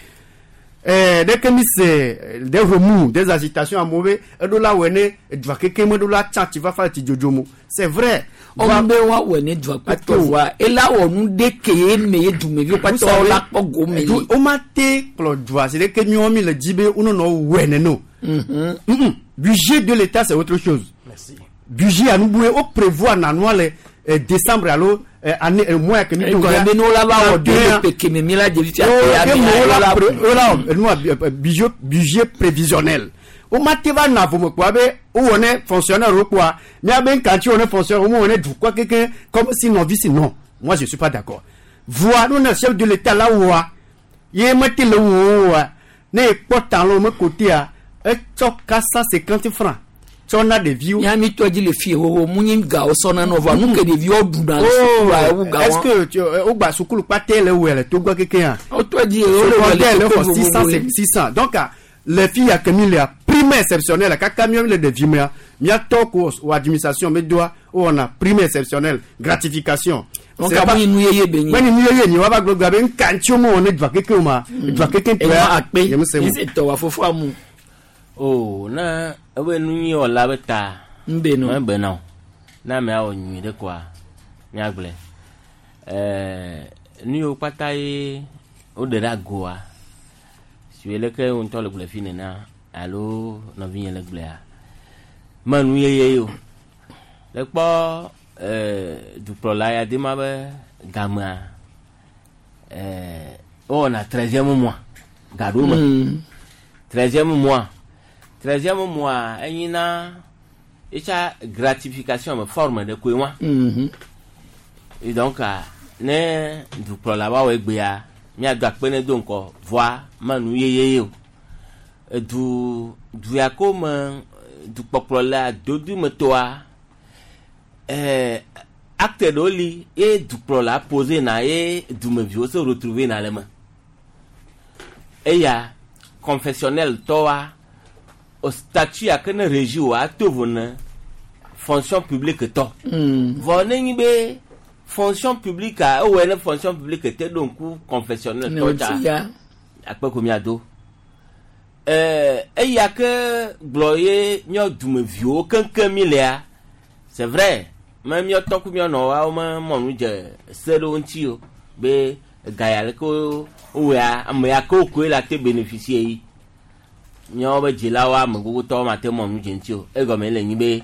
S17: ɖeke mi se des remous, des agitations amewo be eɖo la wɔe ne edua keke me ɖo la tsa tsi fafa le tsi dzodzo mo. C'est vrai.
S2: Ɔmu be woawɔe ne dua kpatɔ voa ela wɔ nu ɖe ke ye me ye dumeviwo kpatɔ la kpɔ gome
S17: li. Wo ma te kplɔ dua si ɖeke miawo mi le dzi be wonɔnɔ wɔe nene o. Budget de l'État, c'est autre chose.
S2: Merci.
S17: Budget anubue wo prévoir nanua le décembre alo année mois ke mi
S2: do. Ekɔ be ne wola va wɔ do le peke me mi la dzevi fia
S17: pe ya mi la wola nua budget prévisionnel wo ma te va na vome kpoa be wowɔ ne fonctionnaire wo kpoa miabe ŋkatsi wɔ ne fonctionnaire wo wɔ ne dukɔ keke comme si nɔvi si non, moi je suis pas d'accord. Voa nu ne chef de l'État la wɔa ye mete le wo wɔa ne ekpɔ talon me kotea etsɔ 450 francs tsɔ na ɖeviwo.
S2: Ya mi tɔ dzi le fie xoxo mu nyi gawo sɔna nɔ vɔa nu ke ɖeviwo ɖuna le sukua ewu gawo.
S17: Est-ce que tu wogba sukulu kpatɛ le wɔ le Togo keke yan.
S2: O tɔ dzi o le
S17: wɔ le Togo 600 600. Donc les filles ya kemi le prime exceptionnelle kaka miɔ le ɖevi mea miatɔ ko o administration me doa wowɔna prime exceptionnelle gratification.
S2: Donc amu yi nu yeye be nyi.
S17: Mɛni nu yeye nyi wa va gblɔ gba be nka ŋuti wo me wɔ ne dua keke o ma dua keke
S2: tɔ ya akpe yi se tɔ wa fofo amu.
S1: O na ebe nu nyui wɔla be ta.
S2: Nbe no.
S1: Mebe na o na amea wɔ nyui ɖe koa míagblɔe nu yiwo kpata ye woɖe ɖe agoa si leke wo ŋutɔ le gblɔe fi nena alo nɔvinye le gblɔea me nu yeye o le kpɔ dukplɔla ya de ma be gamea wowɔna 13e mois gaɖo me 13e mois 13e mois enyina etsa gratification me forme ɖe koe wa. Et donc ne dukplɔla wa wɔ egbea míado akpe ne do ŋkɔ voa me nu yeye o edu du ya ko me dukpɔkplɔla dodu me toa acte ɖewo li ye dukplɔla posé na ye dumeviwo se retrouver na le me eya confessionnel tɔwa o statut ya ke ne régi o ato vo ne fonction publique tɔ. Vɔ ne nyi be fonction publique a ewɔe ne fonction publique te ɖo ŋku confessionnel tɔ tsa akpe ko miado eya ke gblɔ ye míɔ dumeviwo keŋkeŋ mi lea. C'est vrai me míɔ tɔ ku míɔ nɔwawo me mɔnu dze se ɖewo ŋuti o be ga ya leke wowɔa ame ya ke wo koe la te bénéficier yi míawo be dzilawo ame gbogbotɔwo ma te mɔnu dze ŋuti o egɔme le nyi be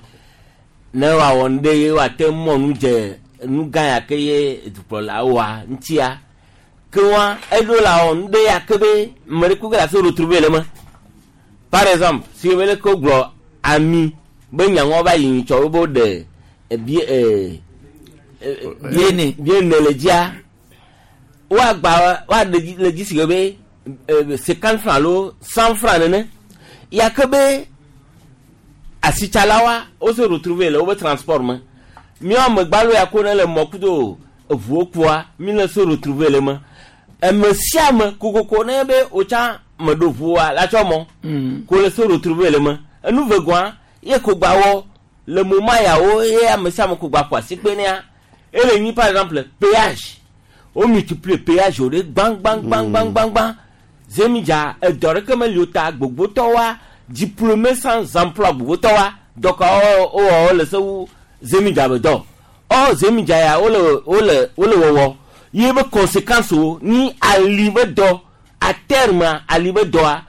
S1: ne woawɔ nu ɖe ye woate mɔnu dze nu gã ya ke ye dukplɔla wɔa ŋutia ke wa eɖo la wɔ nu ɖe ya ke be ame ɖe kuke la se retrouver le me. Par exemple si be leke wogblɔ ami be nyaŋɔ va yi nyitsɔ wo be woɖe bie
S2: biene
S1: biene le dzia. Woagba woaɖe dzi le dzi si ke be 50 francs alo 100 francs nene. Ya ke be asitsalawoa wo se retrouver le wobe transport me. Míawo amegbalo ya ko ne le mɔ kudo eʋuwo kua mi le se retrouver le me. Ame sia ame kokoko ne be wotsã meɖo ʋua la tsɔ mɔ ko le se retrouver le me. Enu vegɔa ye ko gba wɔ le moment yawo ye ame sia ame ko gba ƒo asi kpe nea ele nyi par exemple péage. Wo multiplier péage wo ɖe gbã gbã gbã gbã gbã gbã. Zemidza edɔ ɖeke meli o ta gbogbotɔwoa diplômé sans emploi gbogbotɔwoa dɔka wo wɔ wo le se wu zemidza be dɔ. Or zemidza ya wole wole wole wɔwɔ ye be conséquence wo ni ali be dɔ à terme ali be dɔa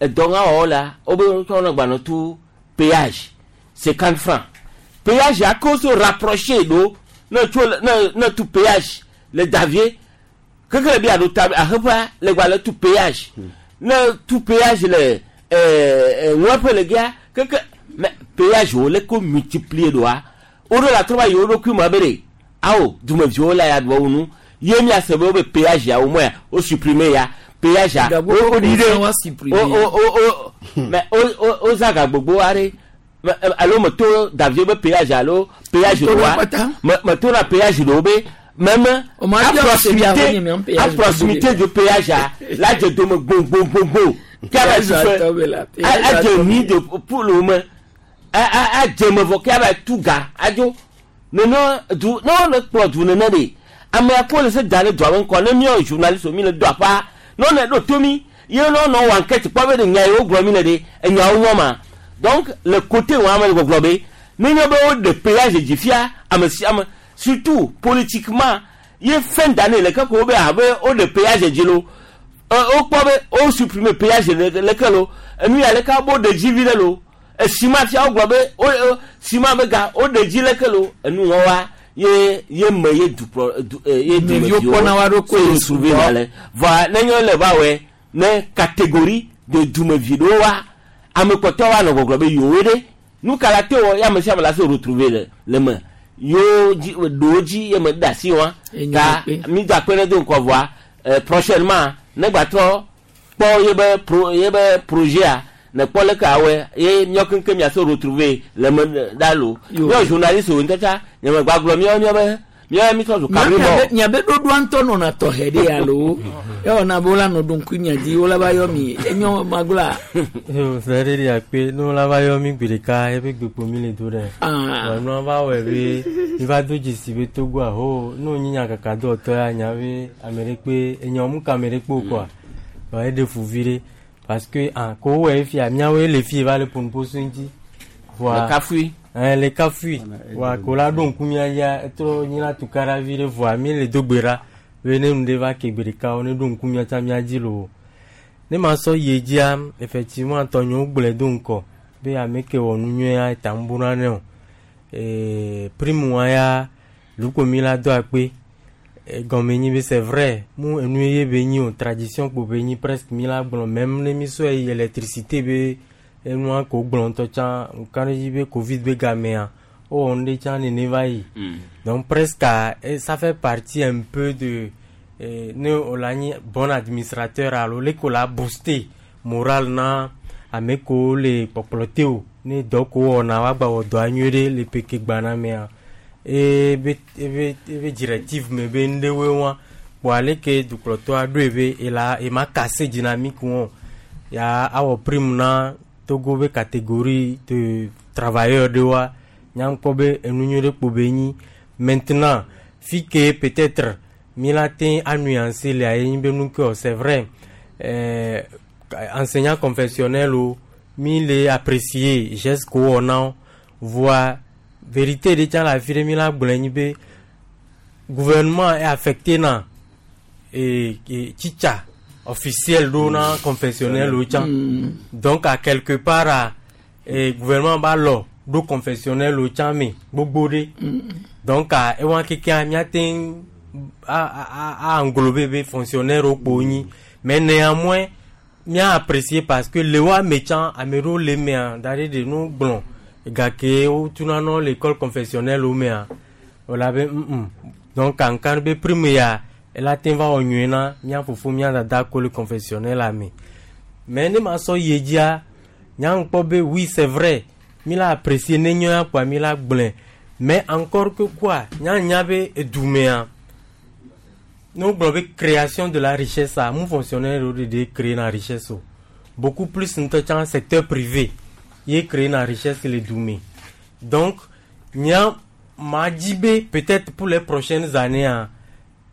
S1: edɔ ŋa wɔwɔ la wobe tsɔ nɔ gbanɔ tu péage 50 francs. Péage ya ko se rapprocher ɖo ne tso ne ne tu péage le Davier keke le bi aɖo ta aheƒea le gba le tu péage ne tu péage le ŋuaƒe le gia keke mais péage wo le ko multiplier ɖoa woɖo la trɔ va yi wo ɖokui me be ɖe awo dumeviwo la ya ɖua wo nu ye miase be wo be péage ya wo mɔ ya wo supprimer ya péage ya wo wo ɖi ɖe wo wo wo wo mais wo wo wo zã ga gbogbo aɖe alo meto Davier be péage alo péage ɖoa me to na péage ɖewo be même à proximité du péage la dze dome gbogbogbogbo kia va tu fɛ adze mi de poule me adze me vɔ kia va tu ga adzo nene du ne wole kplɔ du nene de ame akpo le se da ɖe dua be ŋkɔ ne míawo journaliste mi le do aƒa ne wone ɖo to mi ye ne wonɔ wɔ enquête kpɔ be ɖe nya yi wogblɔ mi le ɖe enyawo nyɔ ma. Donc le côté wo ame le gbɔgblɔ be ne nye be woɖe péage dzi fia ame sia ame surtout politiquement ye fin d'année le ke ko be abe woɖe péage dzi lo wokpɔ be wo supprimer péage leke lo enu ya leke bo ɖe dzi vi ɖe lo esima fia wogblɔ be wo sima be ga woɖe dzi leke lo enu wɔwa ye ye me ye dukplɔ du ye
S2: dumeviwo kpɔna wa ɖokui
S1: se retrouver na le vɔa ne nye le va wɔe ne catégorie de dumevi ɖewo wa ame kpɔtɔwo wa nɔ gbɔgblɔ be yewoe ɖe nu ka la te wɔ ye ame sia ame la se retrouver le le me yewo dzi ɖewo dzi ye me ɖe asi wa ta mi do akpe ɖe do ŋkɔ vɔa prochainement ne gbatrɔ kpɔ ye be pro ye be projet a ne kpɔ leke awɔe ye míawo keŋkeŋ mia se retrouver le me ɖa lo míawo journaliste wo ŋutɔ tsa nye me gbagblɔ míawo míawo be míawo mi trɔ zu kabri bɔ.
S2: Miabe ɖoɖoa ŋutɔ nɔna tɔxɛ ɖe alo ewɔna be wola nɔ ɖo ŋku mia dzi wola va yɔ mi enyo magblɔa.
S3: Fɛ ɖe ɖe akpe ne wola va yɔ mi gbe ɖeka eƒe gbekpo mi le do ɖe. Nua va wɔe be mi va do dzesi be Togoa ho ne wonyi nyakaka dɔwɔtɔ ya nya be ame ɖe kpe enyawo mu ka ame ɖe kpe o kɔa. Eɖe fu vi ɖe parce que ah ko wowɔe fia míawoe le fie va le ƒonuƒoso ŋuti.
S1: Le kafui.
S3: Le kafui. Wa ko la ɖo ŋku mía dzia etrɔ nyi la tukaɖa vi ɖe vɔa mi le do gbe ɖa be ne nu ɖe va ke gbe ɖeka wo ne ɖo ŋku mía tsã mía dzi loo. Ne ma sɔ yi dzia effectivement tɔnyewo gblɔe do ŋkɔ be ame ke wɔ nu nyuia eta ŋu buna ne o. Prime wa ya lukpo mi la do akpe gɔme nyi be c'est vrai mu enu ye be nyi o tradition kpo be nyi presque mi la gblɔ même ne mi sɔe yi électricité be enua ko gblɔ ŋutɔ tsã ŋka ɖe dzi be Covid be gamea wowɔ nu ɖe tsã nene va yi. Donc presque ça fait partie un peu de ne wòle anyi bon administrateur alo leke wòle booster moral na ame kewo le kpɔkplɔ te o ne dɔ ko wɔna woagba wɔ dɔa nyuie ɖe le peke gbana mea ebe ebe ebe directive me be nuɖewoe wa kpoa leke dukplɔtɔa ɖoe be ela ema kase dynamique wɔn ya awɔ prime na Togo be catégorie de travailleurs ɖewoa nyaŋkpɔ be enu nyui ɖe kpo be nyi. Maintenant fi ke peut-être mi la te anuancer le aye nyi be nu ke o c'est vrai enseignant confessionnel o mi le apprécier geste ko wɔna voa vérité ɖe tsã le afi ɖe mi la gblɔe nyi be gouvernement est affecté na titsa officiel ɖo na confessionnel o tsã. Donc à quelque part a gouvernement ba lɔ ɖo confessionnel o tsã me gbogbo ɖe. Donc a ewa kekea míate a englober be fonctionnaire wo kpo nyi mais néanmoins mía apprécier parce que le wa me tsã ame ɖewo le mea da ɖe ɖe nu gblɔ gake wotuna nɔ l'école confessionnelle wo mea wòle abe donc kankan be prime ya Ela te va wɔ nyuie na mía fofo mía dada ko le confessionnel la me. Mais ne ma sɔ yi dzia, nya ŋkpɔ be oui, c'est vrai, mi la apprécier ne nyɔ ya kpoa mi la gblɔe. Mais encore que quoi, nya nya be edumea, ne wogblɔ be création de la richesse a, mu fonctionnaire wo ɖeɖe créer na richesse o. Beaucoup plus ŋutɔ tsã secteur privé ye créer na richesse le du me. Donc, nya ma dzi be peut-être pour les prochaines années a,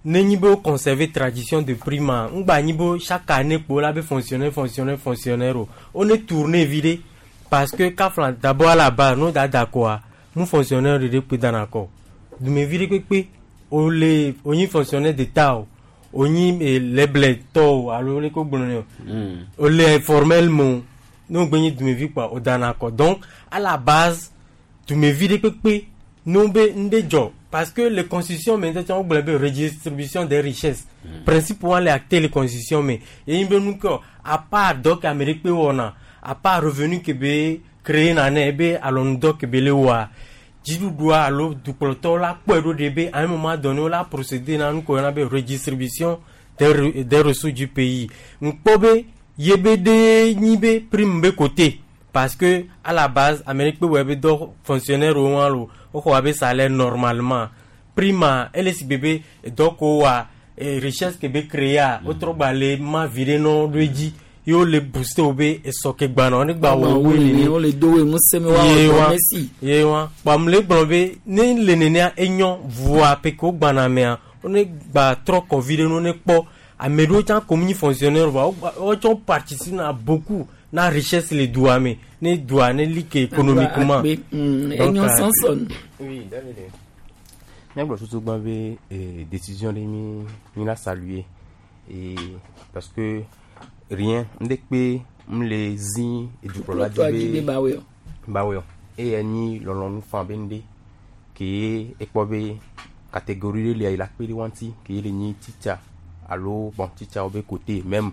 S3: ne nyi be wo conserver tradition de prime a, ŋgba nyi be chaque année kpo la be fonctionnaire, fonctionnaire, fonctionnaire o. Wo ne tourner viɖe parce que kafla d'abord à la base no da da kɔa, mu fonctionnaire ɖeɖe kpe dana kɔ. Dumevi ɖe kpekpe o le o nyi fonctionnaire d'État o, o nyi lɛblɛ tɔ o alo leke wo gblɔ nɛ o. O le informel me o, ne wo gbe nyi dumevi kpoa o dana kɔ. Donc à la base dumevi ɖe kpekpe ne wo be ŋɖe dzɔ parce que le constitution me ŋutɔ tsã wo gblɔ be redistribution des richesses. Principe wa le acté le constitution me. Ye nyi be nu ke à part dɔ ke ame ɖe kpe wɔna, à part revenu ke be créer na ne ebe alɔnudɔ ke be le wɔa, dziɖuɖua alo dukplɔtɔwo la kpɔe ɖo ɖe be à un moment donné wo la procéder na nu ke woyɔna be redistribution des ressources du pays. Ŋkpɔ be ye be ɖe nyi be prime be côté parce que à la base ame ɖe kpe wɔ ebe dɔ fonctionnaire wo wa lo woxɔ abe salaire normalement. Prime a ele si gbe be dɔ ko wa richesse ke be créer a wotrɔ gba le ma vi ɖe nɔ ɖo edzi ye wo le booster wo be esɔ ke gbana ne gba wɔ wo nene.
S2: Wo le do wo ŋusẽ me wa
S3: Ye
S2: wɔ
S3: wa
S2: dɔ mesi.
S3: Ye wa kpa mu le gblɔ be ne le nenea enyɔ voa pe ke wo gbana mea wo ne gba trɔ kɔ vi ɖe ne wo ne kpɔ ame ɖewo tsã ko nyi fonctionnaire voa wo gba wo tsɔ participe na beaucoup na richesse le dua me ne dua ne li ke économiquement.
S2: Akpe,
S3: Donc,
S2: enyɔ sɔnsɔn.
S5: Oui, David. Míagblɔ tutu gbã be décision ɖe mi mi la saluer et parce que rien ŋɖe kpe m le zi edukplɔla
S2: Dukplɔtɔa dzi be bawɔe o.
S5: bawɔe o. Eye nyi lɔlɔ̃nu faa be ŋɖe ke ekpɔ be catégorie ɖe lia yi la kpe ɖe wa ŋuti ke le nyi teacher alo bon teacher wo be côté même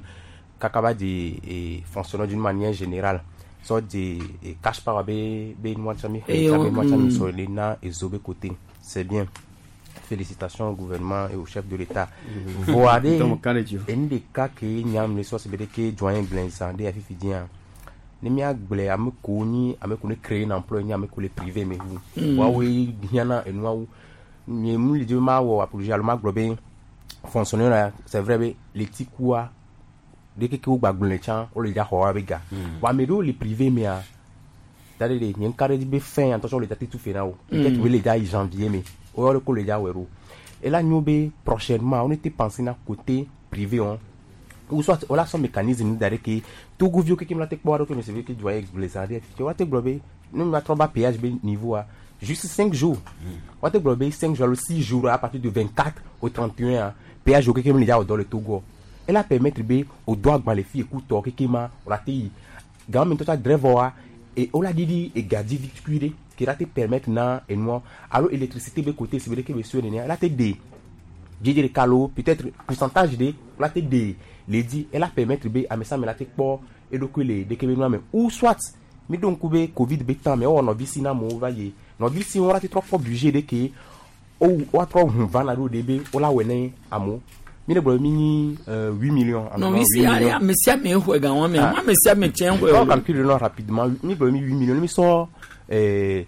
S5: kaka va de fonctionnaire d'une manière générale sɔ de cash power be be nua tsã mi
S2: Eye
S5: xlẽ tsã
S2: wo-
S5: be nua tsã mi sɔ le na ezo be côté, c'est bien, félicitations au gouvernement et au chef de l'État. Voa ɖe
S17: Donc, kan ɖe dzi o.
S5: enu ɖeka ke nyam le sɔ si be ɖe ke doyen gblẽ zã ɖe afifi dzia ne míagblẽ ame kewo nyi ame kewo ne créer un emploi nyi ame kewo le privé me wu woawoe hiãna enuawo nye mu le dzi be mawɔ apologie alo magblɔ be fonctionnaire la, c'est vrai be le tikua ɖe keke wo gba gblẽ tsã wole dza xɔ woabe ga. Vɔ ame ɖewo le privé mea da ɖe le nye ŋka ɖe dzi be fin ya ŋutɔ tsɔ le dza te tu fe na wo peut-être wo le dza yi janvier me woyɔ ɖe ko le dza wɔe ɖo ela nyo be prochainement on était pensé na côté privé on ou soit on a son mécanisme da ɖe ke togoviwo keke mi la te kpɔ aɖe ke me se ke doyen gblẽ zã ɖe fi woate gblɔ be ne mi trɔ ba péage be niveau a juste 5 jours woate gblɔ be 5 jours alo 6 jours à partir de 24 au 31 a péage wo keke mi le dza wɔ dɔ le Togo ela permettre be o do agba le fi ekutɔ keke ma o la te yi gama me ŋutɔ tsa driver wa et o la ɖiɖi ega dzi vikui ɖe ke la te permettre na enua alo électricité be côté si be ɖeke be sue nenea ela te de dzidzi ɖeka alo peut-être pourcentage ɖe o la te de le dzi ela permettre be ame sia ame la te kpɔ eɖokui le ɖeke be nua me ou soit mi ɖo ŋku be Covid be temps me ewɔ nɔvi si na amewo va yi nɔvi si wo la te trɔ kpɔ budget ɖe ke wo woatrɔ ʋu va na ɖo ɖe be wola wɔe ne amewo mi ne gblɔ be mi nyi 8 millions.
S2: Nɔvi si ale ame sia ame xɔe ga wɔn me, ame sia ame tiɛ xɔe
S5: o.
S2: o.
S5: Calcule nɔ rapidement mi gblɔ be mi 8 millions mi sɔ 8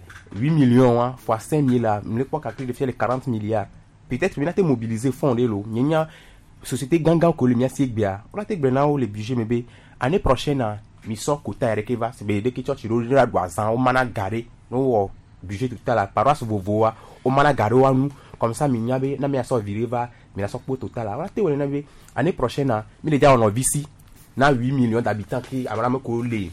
S5: millions wa fois 5 000 la mi le kpɔ calcul de fia le 40 milliards peut-être mi na te mobiliser fonds ɖe lo nye nya société gãgã ko le mia si egbea wola te gblɔ na wo le budget me be année prochaine a mi sɔ quota yɛ ɖeke va si be ɖeke tsɔtsi ɖo ɖe ɖu azã wo mana ga ɖe ne wowɔ budget total la paroisse vovovoa wo mana ga ɖe wa nu comme ça mi nya be na mi asɔ vi ɖe va mi la sɔ kpɔ total la wola te wɔe na be année prochaine a mi le dza wɔ nɔvi si na 8 millions d'habitants ke ame ame ko le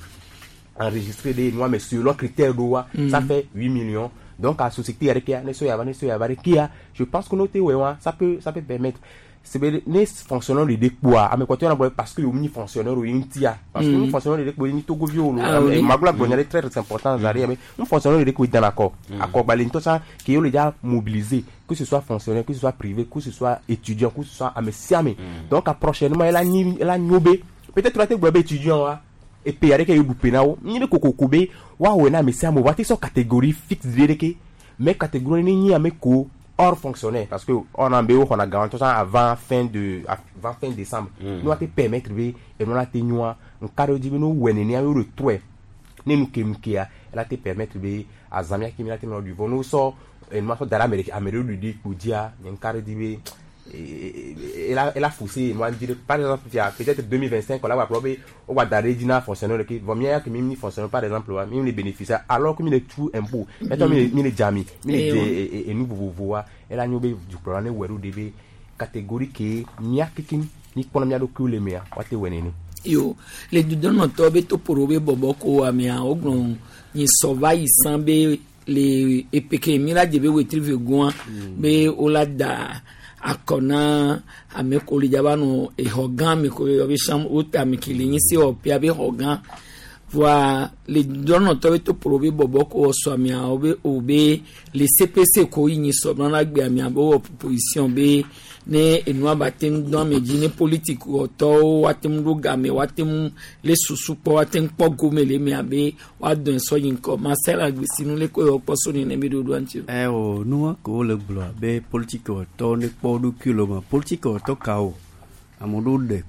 S5: enregistré ɖe nua me selon critère ɖo wa ça fait 8 millions donc à société yɛ ɖeke ne so yava ne so yava ɖe kia je pense que n'o te wɔe wa ça peut permettre c'est be ne fonctionnaire de kpoa ame kɔtɔ na bɔ parce que yomu nyi fonctionnaire o ye ŋutia parce que mm. fonctionnaire de kpo ye nyi togoviwo lo.
S2: Ah, oui.
S5: Magblɔ agblɔ nya ɖe très important zari mais un fonctionnaire de kpo ye dana akɔ akɔgbalẽ ŋutɔ tsã ke ye le dza mobiliser, que ce soit fonctionnaire, que ce soit privé, que ce soit étudiant, que ce soit ame sia ame. Donc à prochainement ela nyi ela nyo be peut-être la te gblɔ be étudiant wa epe aɖeke ye ɖu pe na wo nyi be kokoko be woawɔe na ame sia ame o wa te sɔ catégorie fixe ɖe ɖeke mais catégorie ne nyi ame ko hors fonctionnaire parce que on a be wo xɔna ga ŋutɔ avant fin de avant fin décembre. Ne wa te permettre be enua la te nyoa ŋka ɖe dzi be ne wowɔe nenea ye wo le trɔe ne nu ke nu kea ela te permettre be azã mía ke mi la te nɔ ɖui vɔ ne wosɔ enua sɔ da ɖe ame ɖeka ame ɖewo ɖui ɖi kpo dzia nye ŋka ɖe dzi be ela ela faussé enua dzi ɖe. Par exemple fia peut-être 2025 la gba kplɔ be wo gba da ɖe edzi na fonctionnaire ɖeke vɔ mía ya ke mi mi fonctionnaire par exemple wa mi le bénéficier alors que mi le tu impôt mɛtɔ mi le mi le dzami mi le
S2: Eh,
S5: dze
S2: wa.
S5: enu vovovoa ela nyo be dukplɔla ne wɔe ɖo ɖe be catégorie ke mía kekeŋ mi kpɔna mía ɖokuiwo le mea woate wɔe nene.
S2: Yo le dudɔnɔtɔ be toƒoɖo be bɔbɔ ko amea wogblɔ nyi sɔ va yi san be le epeke mi la dze be wetri ve goa be wola da akɔ na ame ko le dzaba nɔ exɔ gã me ko yɔ be chambre haute ame ke le nyi se wɔƒea be xɔ gã voa le dudɔnɔtɔ be toƒoɖo be bɔbɔ ko sɔ amea wo be o be le CPC ko yi nyi sɔ nana gbe amea be wɔ proposition be ne enua ba te ŋu dɔn ame dzi ne politiki wɔtɔwo woate ŋu ɖo game woate ŋu le susu kpɔ woate ŋu kpɔ gome le emea be woadɔe sɔ yi ŋkɔ Marcel Agbesinu le ko yɔ kpɔ so nene be ɖoɖoa ŋuti o.
S17: ɛ o nua ko wole gblɔa be politikewɔtɔwo ne kpɔ wo ɖokui le me politikewɔtɔ kawo ame ɖewo ɖe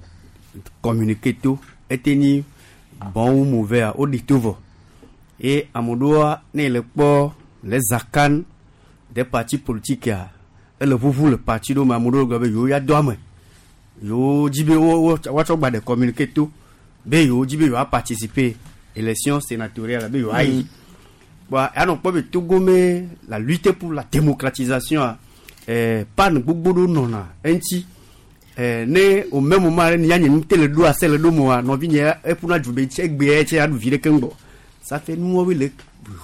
S17: communiqué to ete nyi bon ou mauvais a woɖi to vɔ ye ame ɖewoa ne le kpɔ le zakan de parti politique a ele ʋuʋu le parti ɖewo me ame ɖewo gblɔ be yewo ya do ame yewo dzi be wo wo woatsɔ gba ɖe communiqué to be yewo dzi be yewoa participer élection sénatoriale be yewoayi. Bon, anɔ kpɔ be Togo me la lutte pour la démocratisation a pan gbogbo ɖewo nɔna eŋuti ne au même moment ɖe nya nye nu te le ɖo ase le ɖo moa nɔvinye eƒuna du be tse egbea tse aɖu vi ɖeke ŋgbɔ ça fait nuwɔwoe le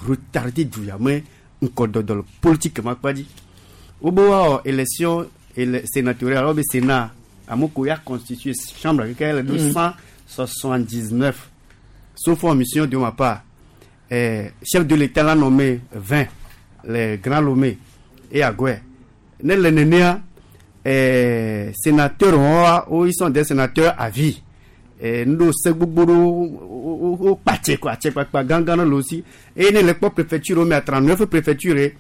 S17: retardé du ya me ŋkɔdɔdɔ le politique ma kpa dzi wobe woawɔ élection ele sénatoriale wobe sénat ame ko ya constitué chambre keke le ɖo 179 sauf omission de ma part chef de l'État l'a nommé 20, les grands Lomé et Agoué. Ne le nenea, sénateurs, oh, ils sont des sénateurs à vie. Nous, c'est gbogbo o kpatse quoi, atse kpakpa gangan le aussi. Et ne le kpɔ préfecture, mais à 39 préfectures,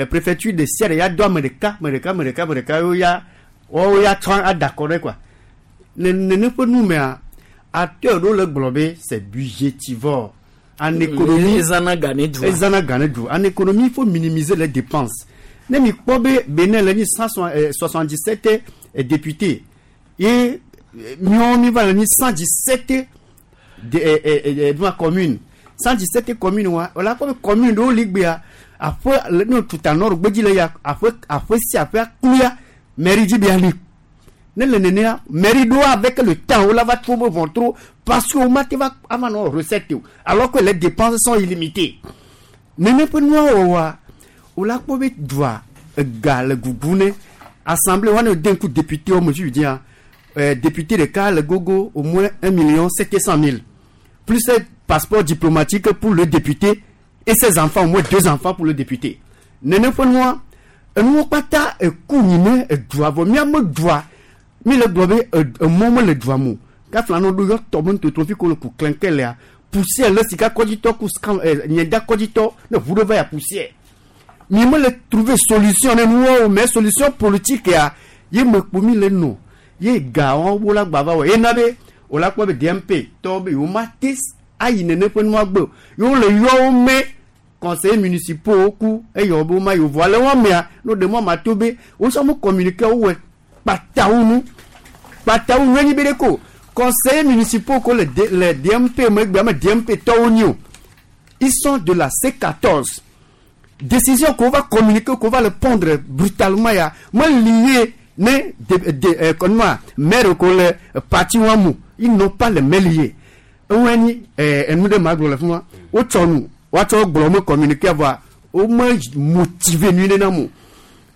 S17: préfecture de Sierra, ya do ame ɖeka, ame ɖeka, ame ɖeka, ame ɖeka, wo ya, wo ya tsɔ adakɔ ɖe quoi. Ne nene ƒe nu mea, acteur ɖewo le gblɔ be c'est budgétivore. En économie,
S2: Ezana ga ne dua.
S17: Ezana ga ne dua. En économie, il faut minimiser les dépenses. Ne mi kpɔ be Benin le nyi 177 députés ye miawo mi va le nyi 117 de nua commune 117 commune wa wòle akpɔ be commune ɖewo li gbea aƒe le ne tuta nord gbedzi le ya aƒe aƒe sia aƒe akluya mairie dzi bia li ne le nenea mairie ɖewo avec le temps wola va tro be ʋɔtru parce que wo ma te va ava nɔ recette o alors que les dépenses sont illimitées nene ƒe nua wɔwɔa wola kpɔ be dua ega le gugu ne assemblée wane de ŋku député wo me fi dzia député ɖeka le gogo au moins 1 700 000 plus un passeport diplomatique pour le député et ses enfants au moins deux enfants pour le député nene ƒe nua enuwo kpata eku nyi ne edua vɔ miame dua mi le gblɔ be emɔ mele dua me o gafla no ɖo yɔ tɔ me ŋutotro fi ko le ku klẽke lea poussière le sika kɔdzitɔ ku scan nyeda kɔdzitɔ ne ʋu ɖe va ya poussière mi mele trouver solution ne nuwo o mais solution politique ya ye me kpo mi le nɔ ye ga wɔn wo la gba va wɔ ye na be o la kpɔ be DMP tɔwo be yewo ma te ayi nene ƒe nua gbe o yewo le yɔ wo me conseillers municipaux ku eye wo be wo ma yi o vɔ ale wɔn mea no ɖe mɔ ma to be wo sɔ mo communiqué wo wɔ kpatawo nu kpatawo nu enyi be ɖe ko conseillers municipaux ko le le DMP megbe ame DMP tɔwo nyi o ils sont de la C14 décision qu'on va communiquer qu'on va le prendre brutalement ya me lié ne de comment maire ko le parti wa mu ils n'ont pas les mains liées eŋue nyi enu ɖe ma gblɔ le fi ma wotsɔ nu woatsɔ gblɔ me communiqué vɔa wo me motiver nyuie ɖe na mo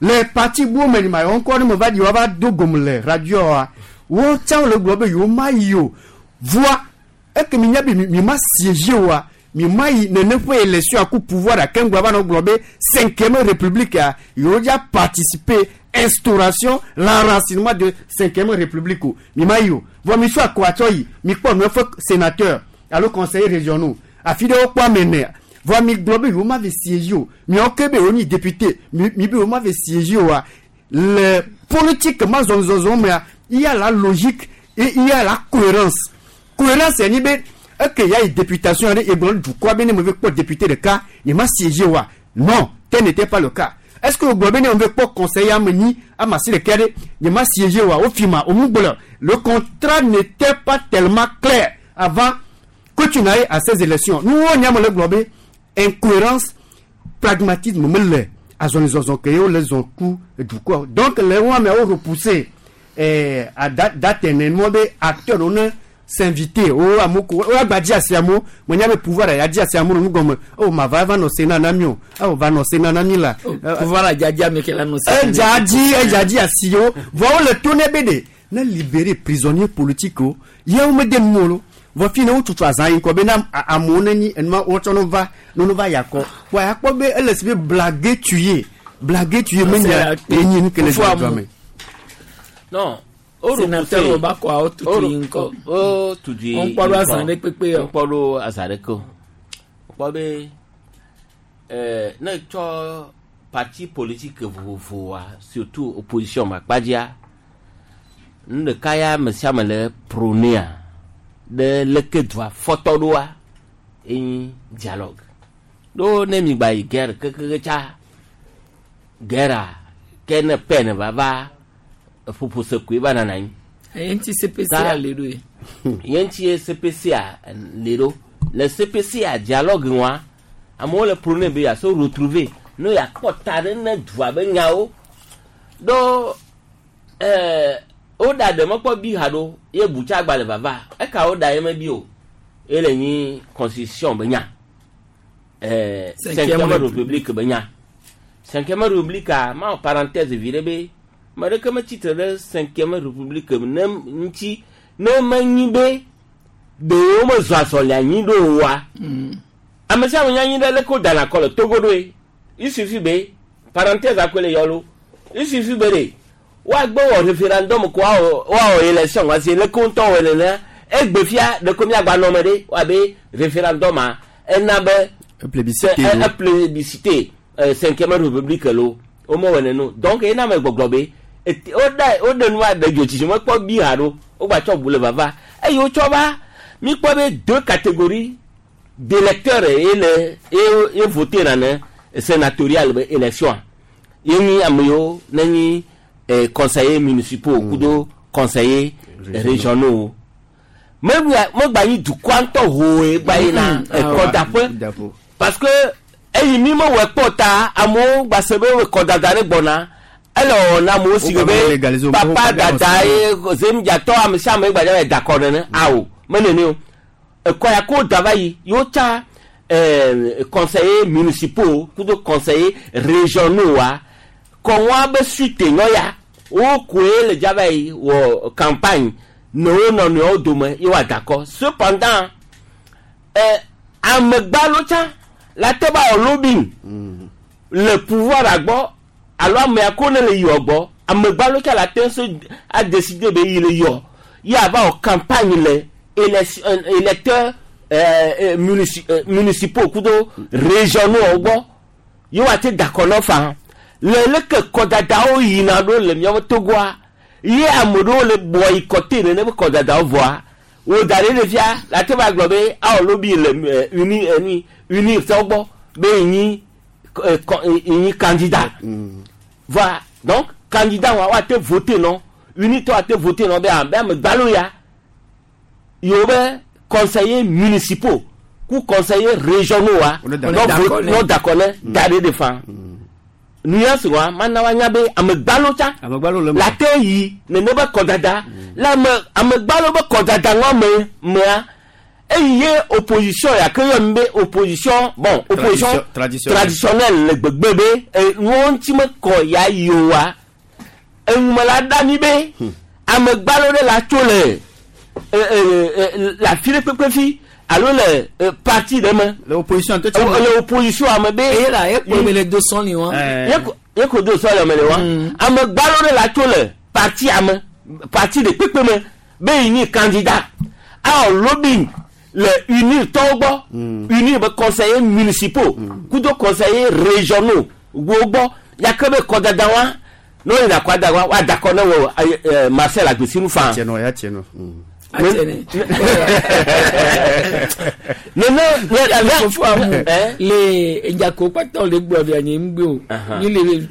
S17: le parti buwo me ma yewo ŋkɔ ne me va ɖi woava do gome le radioa wo tsã le gblɔ be yewo ma yi o voa eke mi nya be mi ma siéger oa mi ma yi nene ƒe élection aku pouvoir ake ŋgɔ va nɔ gblɔ be cinquième république a yewo dza participer instauration l'enracinement de cinquième république o mi ma yi o vɔ mi sɔ akɔ atsɔ yi mi kpɔ nu eƒe sénateur alo conseiller régionaux afi ɖe wokpɔ ame ene Vɔa mi gblɔ be yewo ma ve siéger o. Miawo ke be yewo nyi député, mi mi be yewo ma ve siéger oa, le politique ma zɔzɔzɔ mea, il y a la logique et il y a la cohérence. Cohérence ye nyi be eke ya yi députation aɖe egblɔ ne dukɔa be ne me ve kpɔ député ɖeka, nye ma siéger oa. Non, tel n'était pas le cas. Est-ce que wogblɔ be ne me ve kpɔ conseiller ame nyi, ame asi ɖeka ɖe, nye ma siéger oa? Wofi ma, womu gblɔ. Le contrat n'était pas tellement clair avant que tu n'ailles à ces élections. Nous, on y a le gblɔ be incohérence, pragmatisme mele azɔlizɔzɔ ke ye wole zɔn ku dukɔ. Donc le wo ameawo repousser à date ene nua be acteur wo ne s'inviter wo amewo ko wo agba dzi asi amewo menya be pouvoir ya dzi asi amewo nu gɔme o ma va va nɔ Sénat na mi o o va nɔ Sénat na mi la.
S2: Pouvoir la dzadza mi ke la nɔ Sénat.
S17: Edza dzi edza dzi asi wo vɔ wole to ne be ɖe ne libérer prisonnier politique wo ye wo mede nu o lo vɔ fi ne wotutu azã yi ŋkɔ be na amewo ne nyi enuma wotsɔ no va no no va yakɔ wa yakpɔ be ele si be blague tuye blague tuye menya enyi nu ke le dzɔdzɔ me.
S1: Non.
S2: Sénateur wo ba kɔ awo tutu yi ŋkɔ.
S1: O tutu yi
S2: ŋkɔ. Ŋkpɔ ɖo azã ɖe kpekpe yɔ.
S1: Ŋkpɔ ɖo azã ɖe ke o. Ŋkpɔ be ne tsɔ parti politique vovovoa surtout opposition ma kpadzia nu ɖeka ya ame sia ame le prônea ɖe leke dua fɔtɔ ɖoa enyi dialogue. Ɖo ne mi gba yi guerre kekeke tsa guerre ke ne paix ne va va ƒoƒo se koe va nana anyi.
S2: Eye ŋuti CPC a le ɖo ye.
S1: Ye ŋuti ye CPC a le ɖo. Le CPC a dialogue ŋua, amewo le prôné be yeaso retrouver ne yeakpɔ ta ɖe ne dua be nyawo. Ɖo woɖa ɖe mekpɔ bi ha ɖo ye butsa gba le vava. Eka woɖa ye mebi o. Ye le nyi constitution be nya. Cinquième république be nya. Cinquième république a ma wɔ parenthèse vi ɖe be ame ɖeke metsitre ɖe cinquième république ne ŋuti ne menyi be ɖewo mezɔ azɔli anyi ɖo oa. Ame sia ame nya nyi ɖe leke wodana kɔ le Togo ɖoe. Il suffit be parenthèse akoe le yɔ lo. Il suffit be ɖe woagbe wɔ référendum ko woawɔ élection wa si leke ŋutɔ wɔ nenea egbe fia ɖeko miagba nɔ me ɖe woabe référendum a ena be
S17: plébiscité
S1: plébiscité cinquième république lo womewɔ nene donc ena me gbɔgblɔ be woɖe nua ɖe dzotsitsi mekpɔ bi ha ɖo wogba tsɔ bu le vava eye wotsɔ va mikpɔ be deux catégories d'électeurs ye le ye voté na ne sénatorial be élection ye nyi ame yiwo ne nyi conseillers municipaux kudo conseillers régionaux megba nyi dukɔa ŋutɔ hoe gba yina ekɔdaƒe parce que eyi mi mewɔ kpɔ ta amewo gba se be kɔdada ɖe gbɔna ele wɔwɔ na amewo si be papa dada ye zemdzatɔ ame sia ame gbadza da kɔ nene awo menene o ekɔ ya ko da va yi yewo tsa conseillers municipaux kudo conseillers régionaux wa kɔnwa be suite nyɔ ya wo koe le dzava yi wɔ campagne ne wo nɔnɔewo dome ye woada kɔ cependant amegbalo tsã la te ba wɔ lobbying le pouvoir agbɔ alo amea ko ne le yɔ gbɔ amegbalo tsã la te so a décider be yi le yɔ ye ava wɔ campagne le électeurs municipaux kudo régionaux gbɔ ye woate da kɔ nɔ fa le leke kɔdadawo yina ɖo le miaƒe Togoa ye ame ɖewo le bɔ yi kɔte nene be kɔdadawo vɔa wo da ɖe ɖevia la te va gblɔ be awɔ lobby le uni eni uni tɔwo gbɔ be yi nyi candidat voilà donc candidat wa woate voter nɔ uni tɔ ate voter nɔ be ame amegbalo ya yewo be conseillers municipaux ku conseillers régionaux wa nɔ dakɔ ne da ɖe de fa nuance wa mana wa nya be amegbalo tsa la te yi nene be kɔdada le ame amegbalo be kɔdada ŋua me mea eyi ye opposition ya ke yɔ mi be opposition bon opposition traditionnelle le gbegbe be nuwo ŋuti mekɔ ya yi o wa eŋume la ɖa mi be amegbalo ɖe la tso le le afi ɖe kpekpe fi alo le parti ɖe me.
S17: Le opposition
S1: tó le opposition ame be.
S2: Eye la ye kpɔ le do sɔn ni wa.
S1: Ye ko do sɔn le me le wa. Amegbalo ɖe la tso le parti ame parti ɖe kpekpe me be yi nyi candidat awɔ lobbying le unir tɔwo gbɔ unir be conseillers municipaux kudo conseillers régionaux wo gbɔ yake be kɔdada wa ne wo yina kɔda wa wa da kɔ ne wɔ ɛ Marcel Agbesinu fan.
S17: Tiɛnɔ ya tiɛnɔ.
S1: Nene
S2: ne fofo amu le edzako kpata le gblɔ via nye ŋgbe o mi le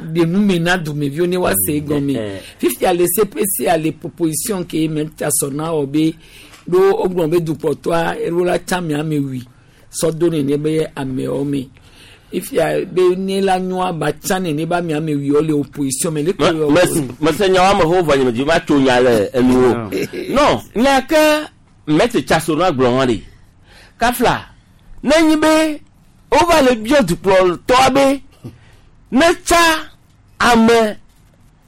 S2: de nu me na dumeviwo ne wa se egɔme fifia le CPC a le proposition ke me ta sɔ na wɔ be ɖo wogblɔ be dukplɔtɔa eɖo la tsa ame ame wui sɔ do nene be amewo me ifia be ne la nyɔa ba tsa nene be ame ame wuiwo le opposition me le ko
S1: mese nya wa me ho vɔ nye me dzi ma tso nya le enuwo non nya ke maître Tchassono gblɔ hã ɖe kafla ne nyi be wova le biɔ dukplɔtɔa be ne tsa ame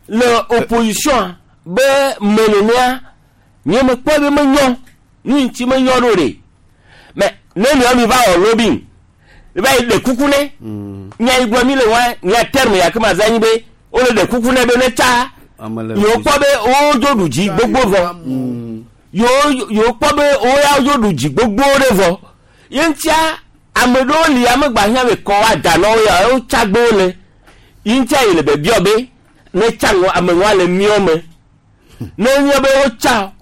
S1: le opposition be me nenea nye me kpɔ be menyɔ nu ŋuti menyɔ ɖo ɖe mais ne nua mi va wɔ lobbying va yi ɖe kuku ne nya yi gblɔ mi le wa nya terme ya ke ma za nyi be wole ɖe kuku ne be ne tsa yewo kpɔ be wodzo ɖu dzi gbogbo vɔ yewo kpɔ be wo ya wodzo ɖu dzi gbogbo ɖe vɔ ye ŋutia ame ɖewo li ame gba hiã be kɔ wa da nɔ wo ya wo tsa gbe wo le ye ŋutia yi le be biɔ be ne tsa ŋɔ ame ŋua le miɔ me ne nye be wo tsa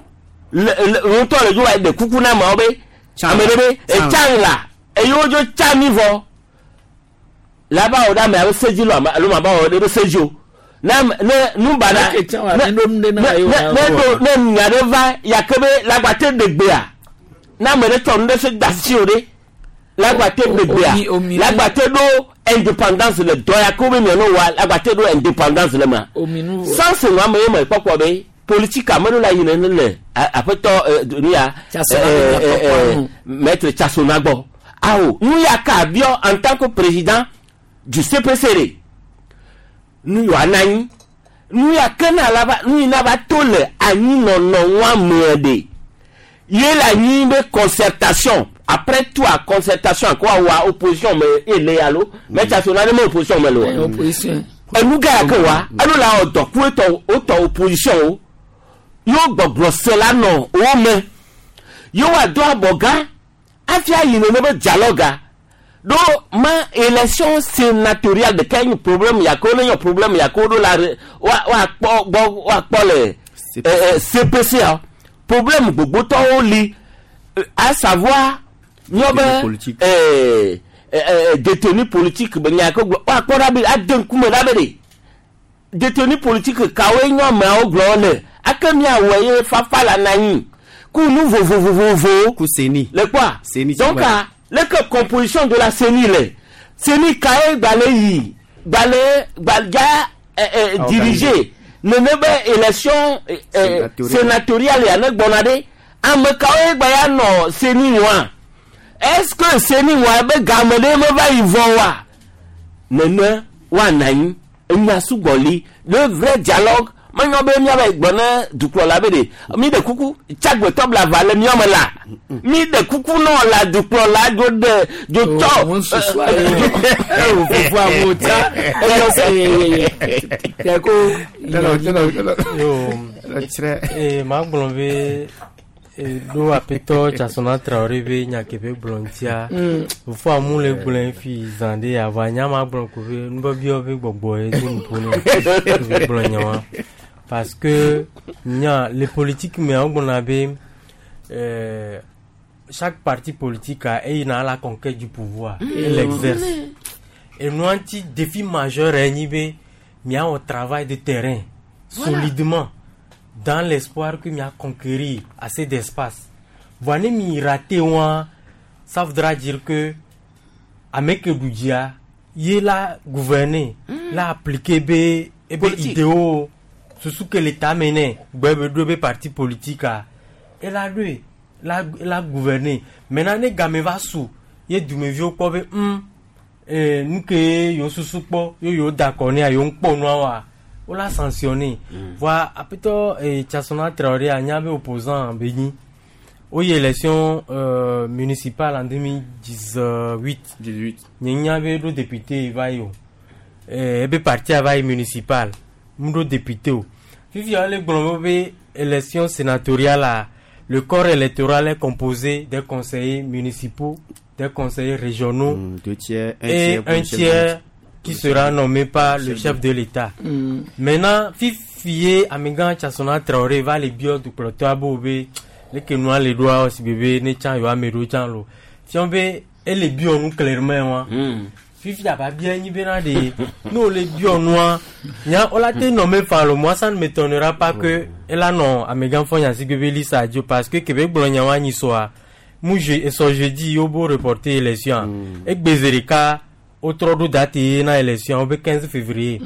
S1: le le ŋutɔ le dzo wa ɖe kuku na ameawo be ame ɖe be etsa la eye wodzo tsa mi vɔ la ba wɔ ɖe ame abe sedzi lo alo ma ba wɔ ɖe be sedzi o ne ne nubana ne ne ne nya ɖe va yake be lagbate ɖegbea ne ame ɖe tsɔ nu ɖe se da si o ɖe lagbate ɖegbea lagbate ɖo indépendance le dɔ ya ke wo be miano wa lagbate ɖo indépendance le ma sans ŋu ame ye me kpɔkpɔ be politique ame ɖo la yi ne le aƒetɔ nu ya maître Tchassono gbɔ awo nu ya ka biɔ en tant que président du CPC nu yɔ ananyi nu ya ke na la va nu yi na va to le anyinɔnɔ ŋua me ɖe ye le anyi be concertation après tout a concertation ko awa opposition me ele alo mais Tchassono ne me opposition me le o enu ga ya ke wa elo la wɔ dɔ ku etɔ wotɔ opposition o yewo gbɔgblɔ se la nɔ wo me yewo ado abɔ gã afia yi nene be dialogue ɖo ma élection sénatoriale ɖeka nye problème ya ke wo ne nye problème ya ke wo ɖo la woakpɔ gbɔ woakpɔ le CPC a problème gbogbotɔwo li à savoir nyɔ be détenu politique be nya ke gblɔ woakpɔ ɖa be ade ŋkume ɖa be ɖe détenu politique kawoe nye ameawo gblɔ le ake miawɔ ye fafa la na anyi ku nu vovovovovo
S17: ku CENI
S1: le kpɔa donc leke composition de la CENI le CENI kae gbalẽ yi gbalẽ gbadza diriger nene be élection sénatoriale ya ne gbɔna ɖe ame kawoe gba ya nɔ CENI wa est-ce que CENI wa be game ɖe meva yi vɔ wa nene woanɔ anyi enya sugbɔ li le vrai dialogue menyɔ be míava yi gblɔ ne dukplɔla be ɖe mi ɖe kuku tsagbetɔ blava le míɔ me la mi ɖe kuku nɔ la dukplɔla dzo ɖe dzo tsɔ.
S2: Fofo awo tsa eyɔ se tɛ ko.
S3: Ee maa gblɔ be ɖo aƒetɔ Tchassono Traoré be nya ke be gblɔ ŋutia fofo amu le gblɔe fi zã ɖe ava nya ma gblɔ ko be nubɔbiɔ be gbɔgbɔ ye do nuƒo ne be gblɔ nya wa parce que nya le politique me wo gblɔna be chaque parti politique a eyina à la conquête du pouvoir et l'exerce et nous anti défi majeur ye nyi be miawɔ travail de terrain solidement dans l'espoir que mia conquérir assez d'espace. Voilà, mi raté wa, ça voudra dire que ame ke ɖu ye la gouverner, la appliquer be ebe idéo susu ke l'État mene gbe be ɖo be parti politique a ela ɖoe la la gouverner. Maintenant ne game va su ye dumeviwo kpɔ be nu ke yewo susu kpɔ ye yewo da akɔ nea yewo ŋkpɔ nua wa wo la sanctionner. Voilà, aƒetɔ Tchassono Traoré a nya be opposant be nyi wo yi élection municipale en 2018
S17: 18
S3: nye nya be ɖo député va yi o ebe parti va yi municipal mu ɖo député o fifia wole gblɔ be élection sénatoriale a Le corps électoral est composé des conseillers municipaux, des conseillers régionaux
S17: deux tiers, un
S3: et
S17: tiers pour
S3: un
S17: le chef de
S3: tiers
S17: l'État.
S3: qui sera nommé par le chef de l'État. Maintenant, fifiye amegã Tchasona Traoré va le biɔ dukplɔtɔa be wo be leke nua le ɖoa si be ne tsã yewoa ame ɖewo tsã lo. Fiɔ be ele biɔ nu clairement wa. Fifi aba bia nyi bena ɖe ne wole biɔ nua nya wola te nɔ me fa lo moi ça ne m'étonnera pas que ela nɔ amegã fɔ nya si be lisa dzo parce que kebe gblɔ nya wa nyi sɔa mu je esɔ jeudi yewo bo reporter élection egbe zi ɖeka wotrɔ ɖo date ye na élection wo be 15 février.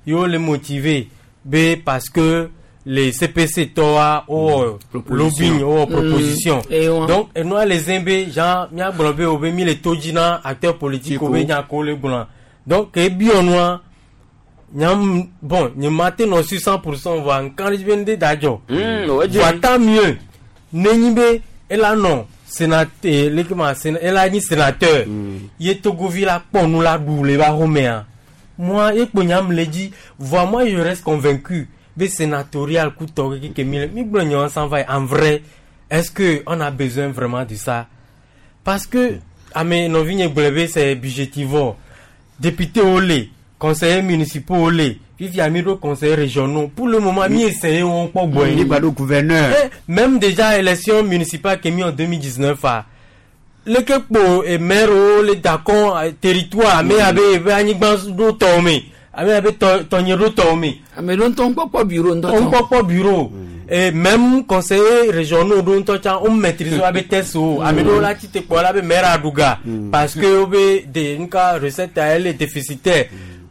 S3: Yewo le motivé be parce que les CPC tɔwa wowɔ lobbying wowɔ proposition.
S2: Eh, wa.
S3: Donc enua le zẽ be genre míagblɔ be wo be mi le to dzi na acteur politique wo be nya ko le gblɔa donc ke ebiɔ nua nyam bon nye ma te nɔ su 100% voa nka ɖe dzi be ŋde da dzɔ. Voa tant mieux nenyi be ela nɔ sénateur leke ma séna ela nyi sénateur ye togovi la kpɔ nu la ɖu le ba xɔmea moi ye kpo nyam le dzi voa moi je reste convaincu be sénatorial kutɔ keke mi le mi gblɔ nya san va yi en vrai est-ce que on a besoin vraiment de ça parce que ame nɔvinye gblɔ be c'est budgétivore député wo le conseillers municipaux wo le fifia mi ɖo conseillers régionaux pour le moment mi essaye wo kpɔ gbɔe.
S17: Mi gba ɖo gouverneur.
S3: Eh, même déjà élection municipale ke mi en 2019 a leke kpo e maire wo le dakɔn territoire ame abe ebe anyigba ɖo tɔwo me ame abe tɔ tɔnye ɖo tɔwo me.
S2: Ame ɖo ŋutɔ ŋkpɔkpɔ bureau ŋutɔ
S3: tɔ. Ŋkpɔkpɔ bureau et même conseiller régionaux ɖo ŋutɔ tsã wo maîtrise wo abe test o ame ɖewo la tite kpɔ la be maire aɖuga parce que wo be de nuka recette a elle est déficitaire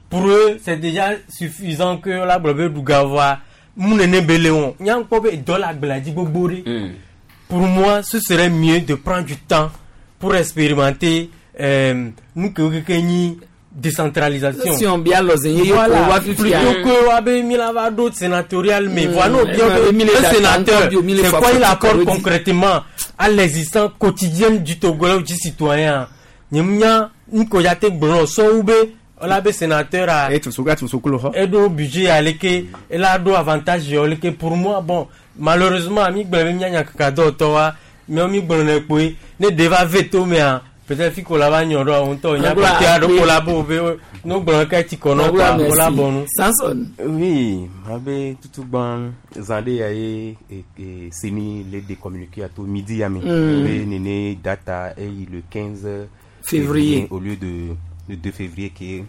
S3: pour eux c'est déjà suffisant que la gblɔ be ɖuga voa mu nene be le wɔn nya ŋkpɔ be dɔ le agblea dzi gbogbo ɖe. Pour moi ce serait mieux de prendre du temps pour expérimenter nu kewo keke nyi décentralisation.
S2: Si on bia lɔ zen ye ye ko wa fifia.
S3: Plutôt que wa be mi la va ɖo sénatorial mais voilà no bien
S2: Eh,
S3: que
S2: mi le
S3: le
S2: da
S3: sénateur
S2: tanko bio, mi le
S3: c'est
S2: fa
S3: quoi il
S2: fo
S3: apporte
S2: ti
S3: concrètement à l'existence quotidienne du Togolais ou du citoyen nye nya nko ya te gblɔ sɔwu be ɔla be sénateur a eɖo budget aleke ela ɖo avantage yɔ leke pour moi bon malheureusement mi gblɔ be mianya kaka dɔwɔtɔ wa miawo mi gblɔ ne kpoe ne ɖe va ve to mea peut-être fi ko la va nyɔ ɖoa ŋutɔ nya
S2: Agblɔ
S3: kote aɖe
S2: akpe.
S3: ko la bo be no gblɔ ke tsi kɔ nɔ
S2: Agblɔ
S3: kɔa
S2: merci.
S3: wo la bɔ nu.
S2: Samson.
S5: Oui, abe tutugban zande ya ye e, e, seni le de communiqué à tout midi ya mi. Be nene data e le 15
S2: Février.
S5: au lieu de le 2 février qui est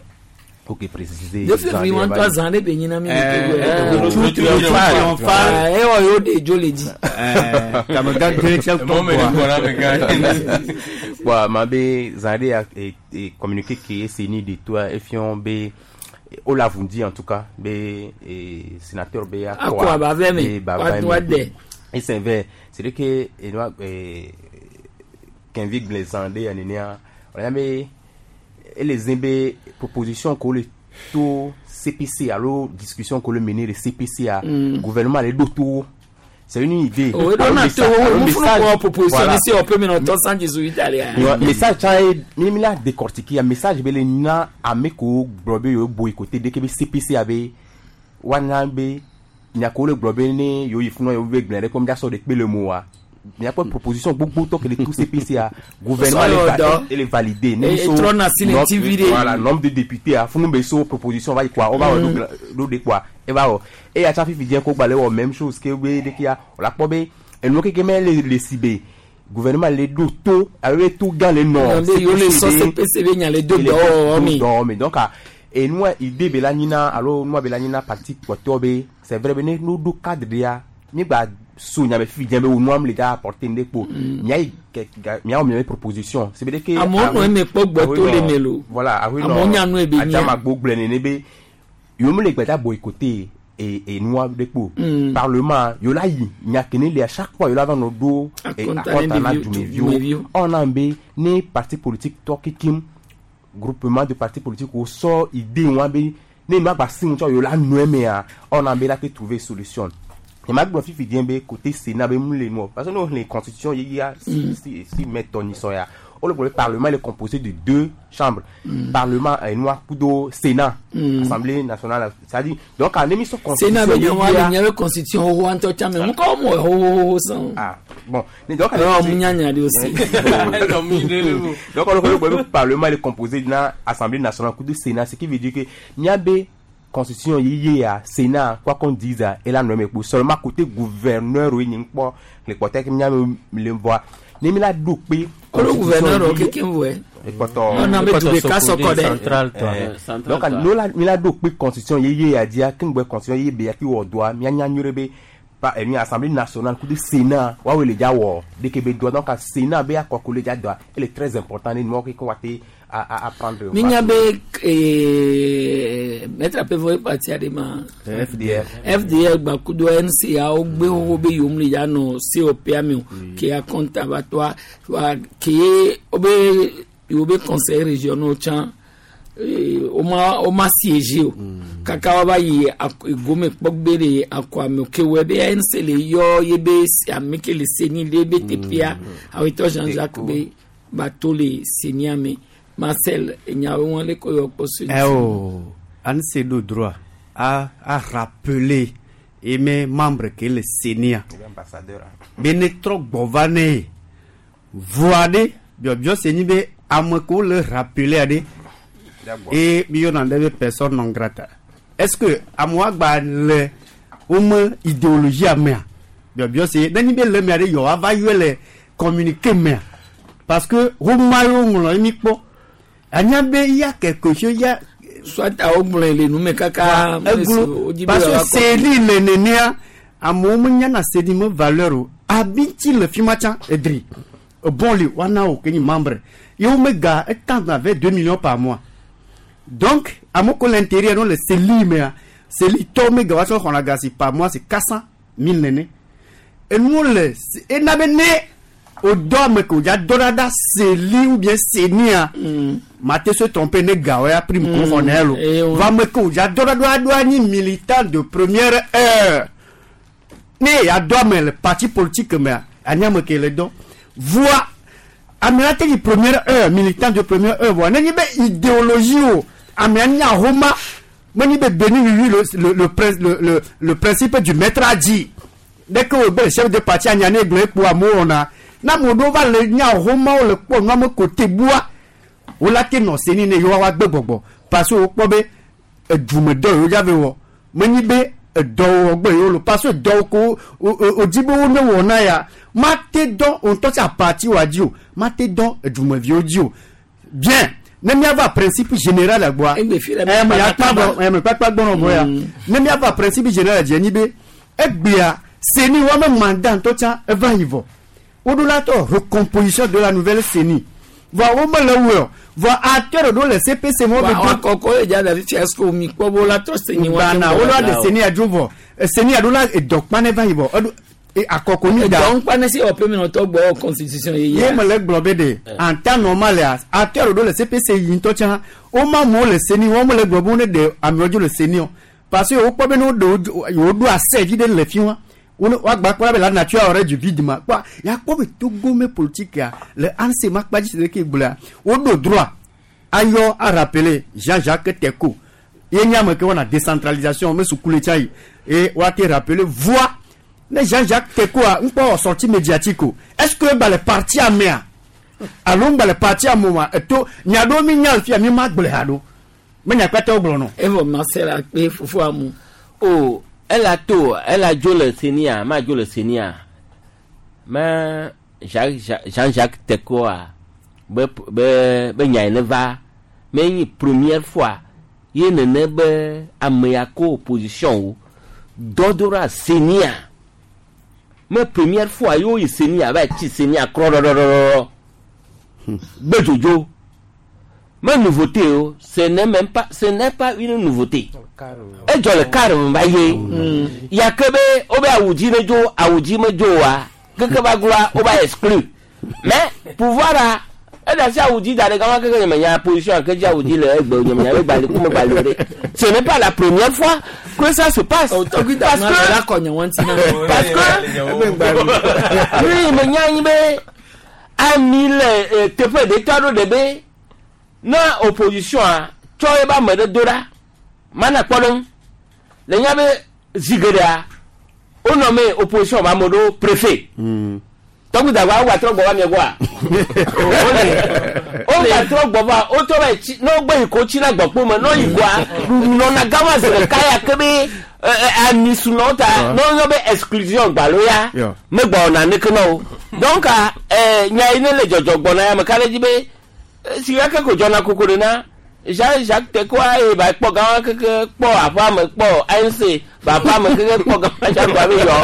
S5: ok précisé.
S2: 2 février wọn tɔ zan de be nyina mi le Togo.
S5: Eh,
S2: Tout
S5: triomphal.
S2: Eh, ewɔ yewo de dzo le dzi.
S5: Bon, ma be zande ya e, e, communiqué qui est seni de toi et fion be o l'a vous dit en tout cas be e, sénateur be ya
S2: Akɔ aba vɛ me.
S5: be ba
S2: Wa-
S5: vɛ me.
S2: wa dɛ.
S5: Et c'est vrai, c'est vrai que et nous eh qu'invite les Andé ya nenia, on a mais et les zimbe proposition qu'on le tout CPC alors discussion qu'on le mener le CPC à gouvernement les d'auto c'est une idée.
S2: O
S5: Alors,
S2: ɖo na to
S5: message-
S2: wo
S5: alors,
S2: mu funu
S5: message-
S2: kɔ proposition
S5: voilà.
S2: ni se ɔpɛ mi na tɔ san jesu italia.
S5: Yo, message tsa ye mi mi la décortiquer ya message be le na ame ko gblɔ be yewo boycotté dès que be CPC abe wana be nya ko le gblɔ be ne yewo yi funu yewo be gblẽ ɖe comme dasɔ de kpe le mo wa miakpɔ proposition gbogbo tɔ ke le tout CPC a gouvernement
S2: Sɔ
S5: le
S2: yɔ
S5: va
S2: dɔ.
S5: ele validé ne
S2: E- e trɔ na si le
S5: nombre-
S2: TV ɖe.
S5: voilà nombre de députés a funu be so proposition va yi quoi on va wɔ ɖo ɖo de quoi e va wɔ eya tsa fifi dze ko gba le wɔ même chose ke be de kia o la kpɔ be enu keke me le le si be gouvernement le ɖo to abe be to gã le nɔ
S2: Nɔ be yewo le sɔ CPC be nya le do dɔwɔwɔ me.
S5: dɔwɔwɔ me donc ah, enua idée be la nyina alo nua be la nyina parti kpɔtɔ be c'est vrai be ne no ɖo cadre ɖea mi gba so nya be fifi dze be wo nua mi le da apporter ŋɖe kpo mia yi kɛ ga mia wɔ mia be proposition c'est veut dire que
S2: Amewo nɔ eme kpɔ gbɔ to le me lo.
S5: voilà awo
S2: Amewo nya nu ebe nyia.
S5: adzamagbo gblɔ nene be yewo mi le gbɛta boycotter e enua ɖe kpo parlement yewo la yi nya kene le à chaque fois yewo la va nɔ ɖo e,
S2: Akɔnta
S5: akɔnta
S2: ne
S5: na
S2: ɖeviwo-
S5: dumeviwo
S2: dumeviwo.
S5: ɔna be ne parti politique tɔ kekem groupement de parti politique wo sɔ idée wa be ne nua gba si ŋutsɔ yewo la nɔe mea ɔna be la te trouver solution nye ma gblɔ fifi diɛ be côté sénat be mu le nuɔ parce que ne wo xlẽ constitution yeyea si si si mɛ tɔ nyisɔ ya Le parlement est composé de deux chambres. Parlement enua kudo Sénat, Assemblée nationale. C'est-à-dire, donc en émission
S2: Sénat bɛ ɲɔgɔn wa ɲɛ bɛ constitution xoxo an tɔ caman mun kɔ mɔ xoxo san.
S5: Ah bon. Donc
S2: non mun y'a ɲa de aussi.
S5: Donc le parlement est composé d'une Assemblée nationale kudo Sénat, ce qui veut dire que n'y constitution yeye ya Sénat, quoi qu'on dise, et la nommé pour seulement côté gouverneur, oui, n'y pas les côtés qui n'y le voit ne mi la do pe.
S2: Olo gouverneur o kékin wɛ.
S5: Ekpɔtɔ
S2: ɔnà bɛ tu de ka sɔkɔ dɛ.
S5: Donc no la mi la do pe constitution yeye ya dia kingbe constitution yeye be ya ki wɔ doa mi anya nyure be pa enu Assemblée nationale coup de Sénat wa wele ja wɔ de ke be doa. Donc Sénat be akɔ le ja doa, elle est très important ni mo ke ko wa te à prendre.
S2: Mi nya be maître apevo parti ade ma.
S5: FDR.
S2: FDR gbakudo NCA wo gbe wo be yom le ya no COP ami o ke a compte ba toi wa ke o be yo be conseil régional chan o ma siéger o kaka wa ba yi gome kpɔgbere akɔ ame ke wɔ be NC le yɔ ye be ame ke le seni le be tepia awetɔ Jean-Jacques be bato le seni ame Marcel nyawo wọn le ko yɔ kpɔ so.
S17: Eh oh, ANC do droit à rappeler et mes membres que le Sénat bene trɔ gbɔ ne voa ɖe biɔbiɔ se nyi be ame ko le rappeler aɖe et mi yɔna ɖe be personne non grata. Est-ce que amewo gba le wome idéologie amea biɔbiɔ se ne nyi be le mea ɖe yɔ ava yɔe le communiqué mea parce que woma yewo ŋlɔ ye mi kpɔ anya be ya quelque chose ya.
S2: Soit awo gblɔe le nume kaka.
S17: Eglo parce que seli le nenea amewo menyana seli me valeur o abiti le fi ma tsã edri bon le wana o ke nyi membre yewo mega etã avec 2 millions par mois. Donc amewo ko le intérieur no le seli mea seli tɔ mega wa tsɔ xɔna gasi par mois c'est 400 000 nene enuwo le ena be ne o dɔ ame ke o dza dɔ ɖaɖa seli ou bien senia mate se tromper ne gawo ya prime ko xɔ ne lo va ame ke o dza dɔ ɖaɖa ɖo anyi militant de première heure ne ya dɔ ame le parti politique mea anyi ame ke le dɔ voa ame la te yi première heure militant de première heure voa ne nyi be idéologie o ame nya homa me nyi be béni oui le principe du maître a dit dès que o be le chef de parti anya ne gblɔ ekpo amewo wɔna na amewo ɖewo va le nya homa wo le kpɔ nua me kote bua wo la te nɔ seni ne yewoa wa gbe gbɔgbɔ parce que wokpɔ be edumedɔ yewo dza ve wɔ menyi be edɔwɔwɔ gbe yewo lo parce que dɔwo ko wodzi be wo ne wɔna ya mate dɔ ŋutɔ tsa parti wa dzi o mate dɔ edumeviwo dzi o bien ne miava principe général gbɔa ɛmɛ kpakpa gbɔnɔ bɔ ya ne miava principe général dzi enyi be egbea seni wɔme mandat ŋutɔ tsa eva yi vɔ woɖo tɔ recomposition de la nouvelle CENI vɔ wo mele wɔ o vɔ acteur ɖewo le CPC mo
S2: be do kɔkɔ ye dza davi fiasco mi kpɔ bo la trɔ CENI
S17: wa gbana wo la de CENI adzo vɔ CENI aɖo la edɔkpa ne va yi vɔ eɖo akɔkɔ ni da
S2: edɔnkpa ne si ɔpɛ mi nɔtɔ gbɔ constitution ye
S17: ye mele gblɔ be de en temps normal ya acteur ɖewo le CPC yi ŋutɔ tsã wo ma amewo le CENI wo mele gblɔ be wo ne de amewo dzo le CENI o parce que wo kpɔ be ne wo ɖe wo ɖo ase vi ɖe le fi wa wagba kpɔ be la nature aurait du vide ma kpɔ ya kpɔ be Togo me politique ya le ANC ma kpa dzi si ke gblɔa woɖo droit ayɔ a rappeler Jean-Jacques Teko ye nye ame ke wɔna décentralisation me sukule tsa yi et woate rappeler voix ne Jean-Jacques Teko a ŋkpɔ wɔ sortie médiatique o est-ce que eba le parti amea alo ŋgba le parti amoma eto nya ɖewo mi nya le fia mi ma gblɔe haɖo me nya kpata wo gblɔ nɔ.
S2: Evɔ Marcel akpe fofo amu.
S1: O elle a to elle a dzo le senia ma dzo le senia mais Jean-Jacques Teko a be be be nya ne va mais ni première fois ye nene be ame ya ko opposition o dɔdora senia mais première fois yo yi senia va tsi senia krɔɖɔɖɔɖɔɖɔ gbe dzodzo mais nouveauté o ce n'est même pas ce n'est pas une nouveauté edzɔ le car me va ye ya ke be wo be awudzi ne dzo awudzi me dzo oa keke va gloa wo va exclu mais pouvoir a eda si awudzi da ɖe gama keke nye me nya position ke dzi awudzi le egbe nye me nya be gbali ku me gbali o ɖe ce n'est pas la première fois que ça se passe parce que parce que oui me nya anyi be Ami le teƒe ɖetɔ aɖewo ɖe be ne opposition a tsɔ ebe ame ɖe do ɖa mana kpɔɖeŋu le nya be zi geɖea wonɔ me opposition be ame ɖewo préfet. Tɔgbi dagba wo gbatrɔ gbɔ va mia gbɔa? Wo gbatrɔ gbɔ va wotrɔ va yi tsi ne wogbe yi ko tsi na gbɔkpo me ne woyi goa ɖuɖu nɔna gama zi ɖeka ya ke be ami sunɔ wo ta ne woyɔ be exclusion gbalo ya megbɔ wɔna naneke na wo. Donc nya yi ne le dzɔdzɔ gbɔna ya meka ɖe edzi be si gake ko dzɔna koko ɖe na Jean Jacques Tekoa eye ba kpɔ gã keke kpɔ aƒea me kpɔ ANC ba aƒea me keke kpɔ gã dza gba be yɔ.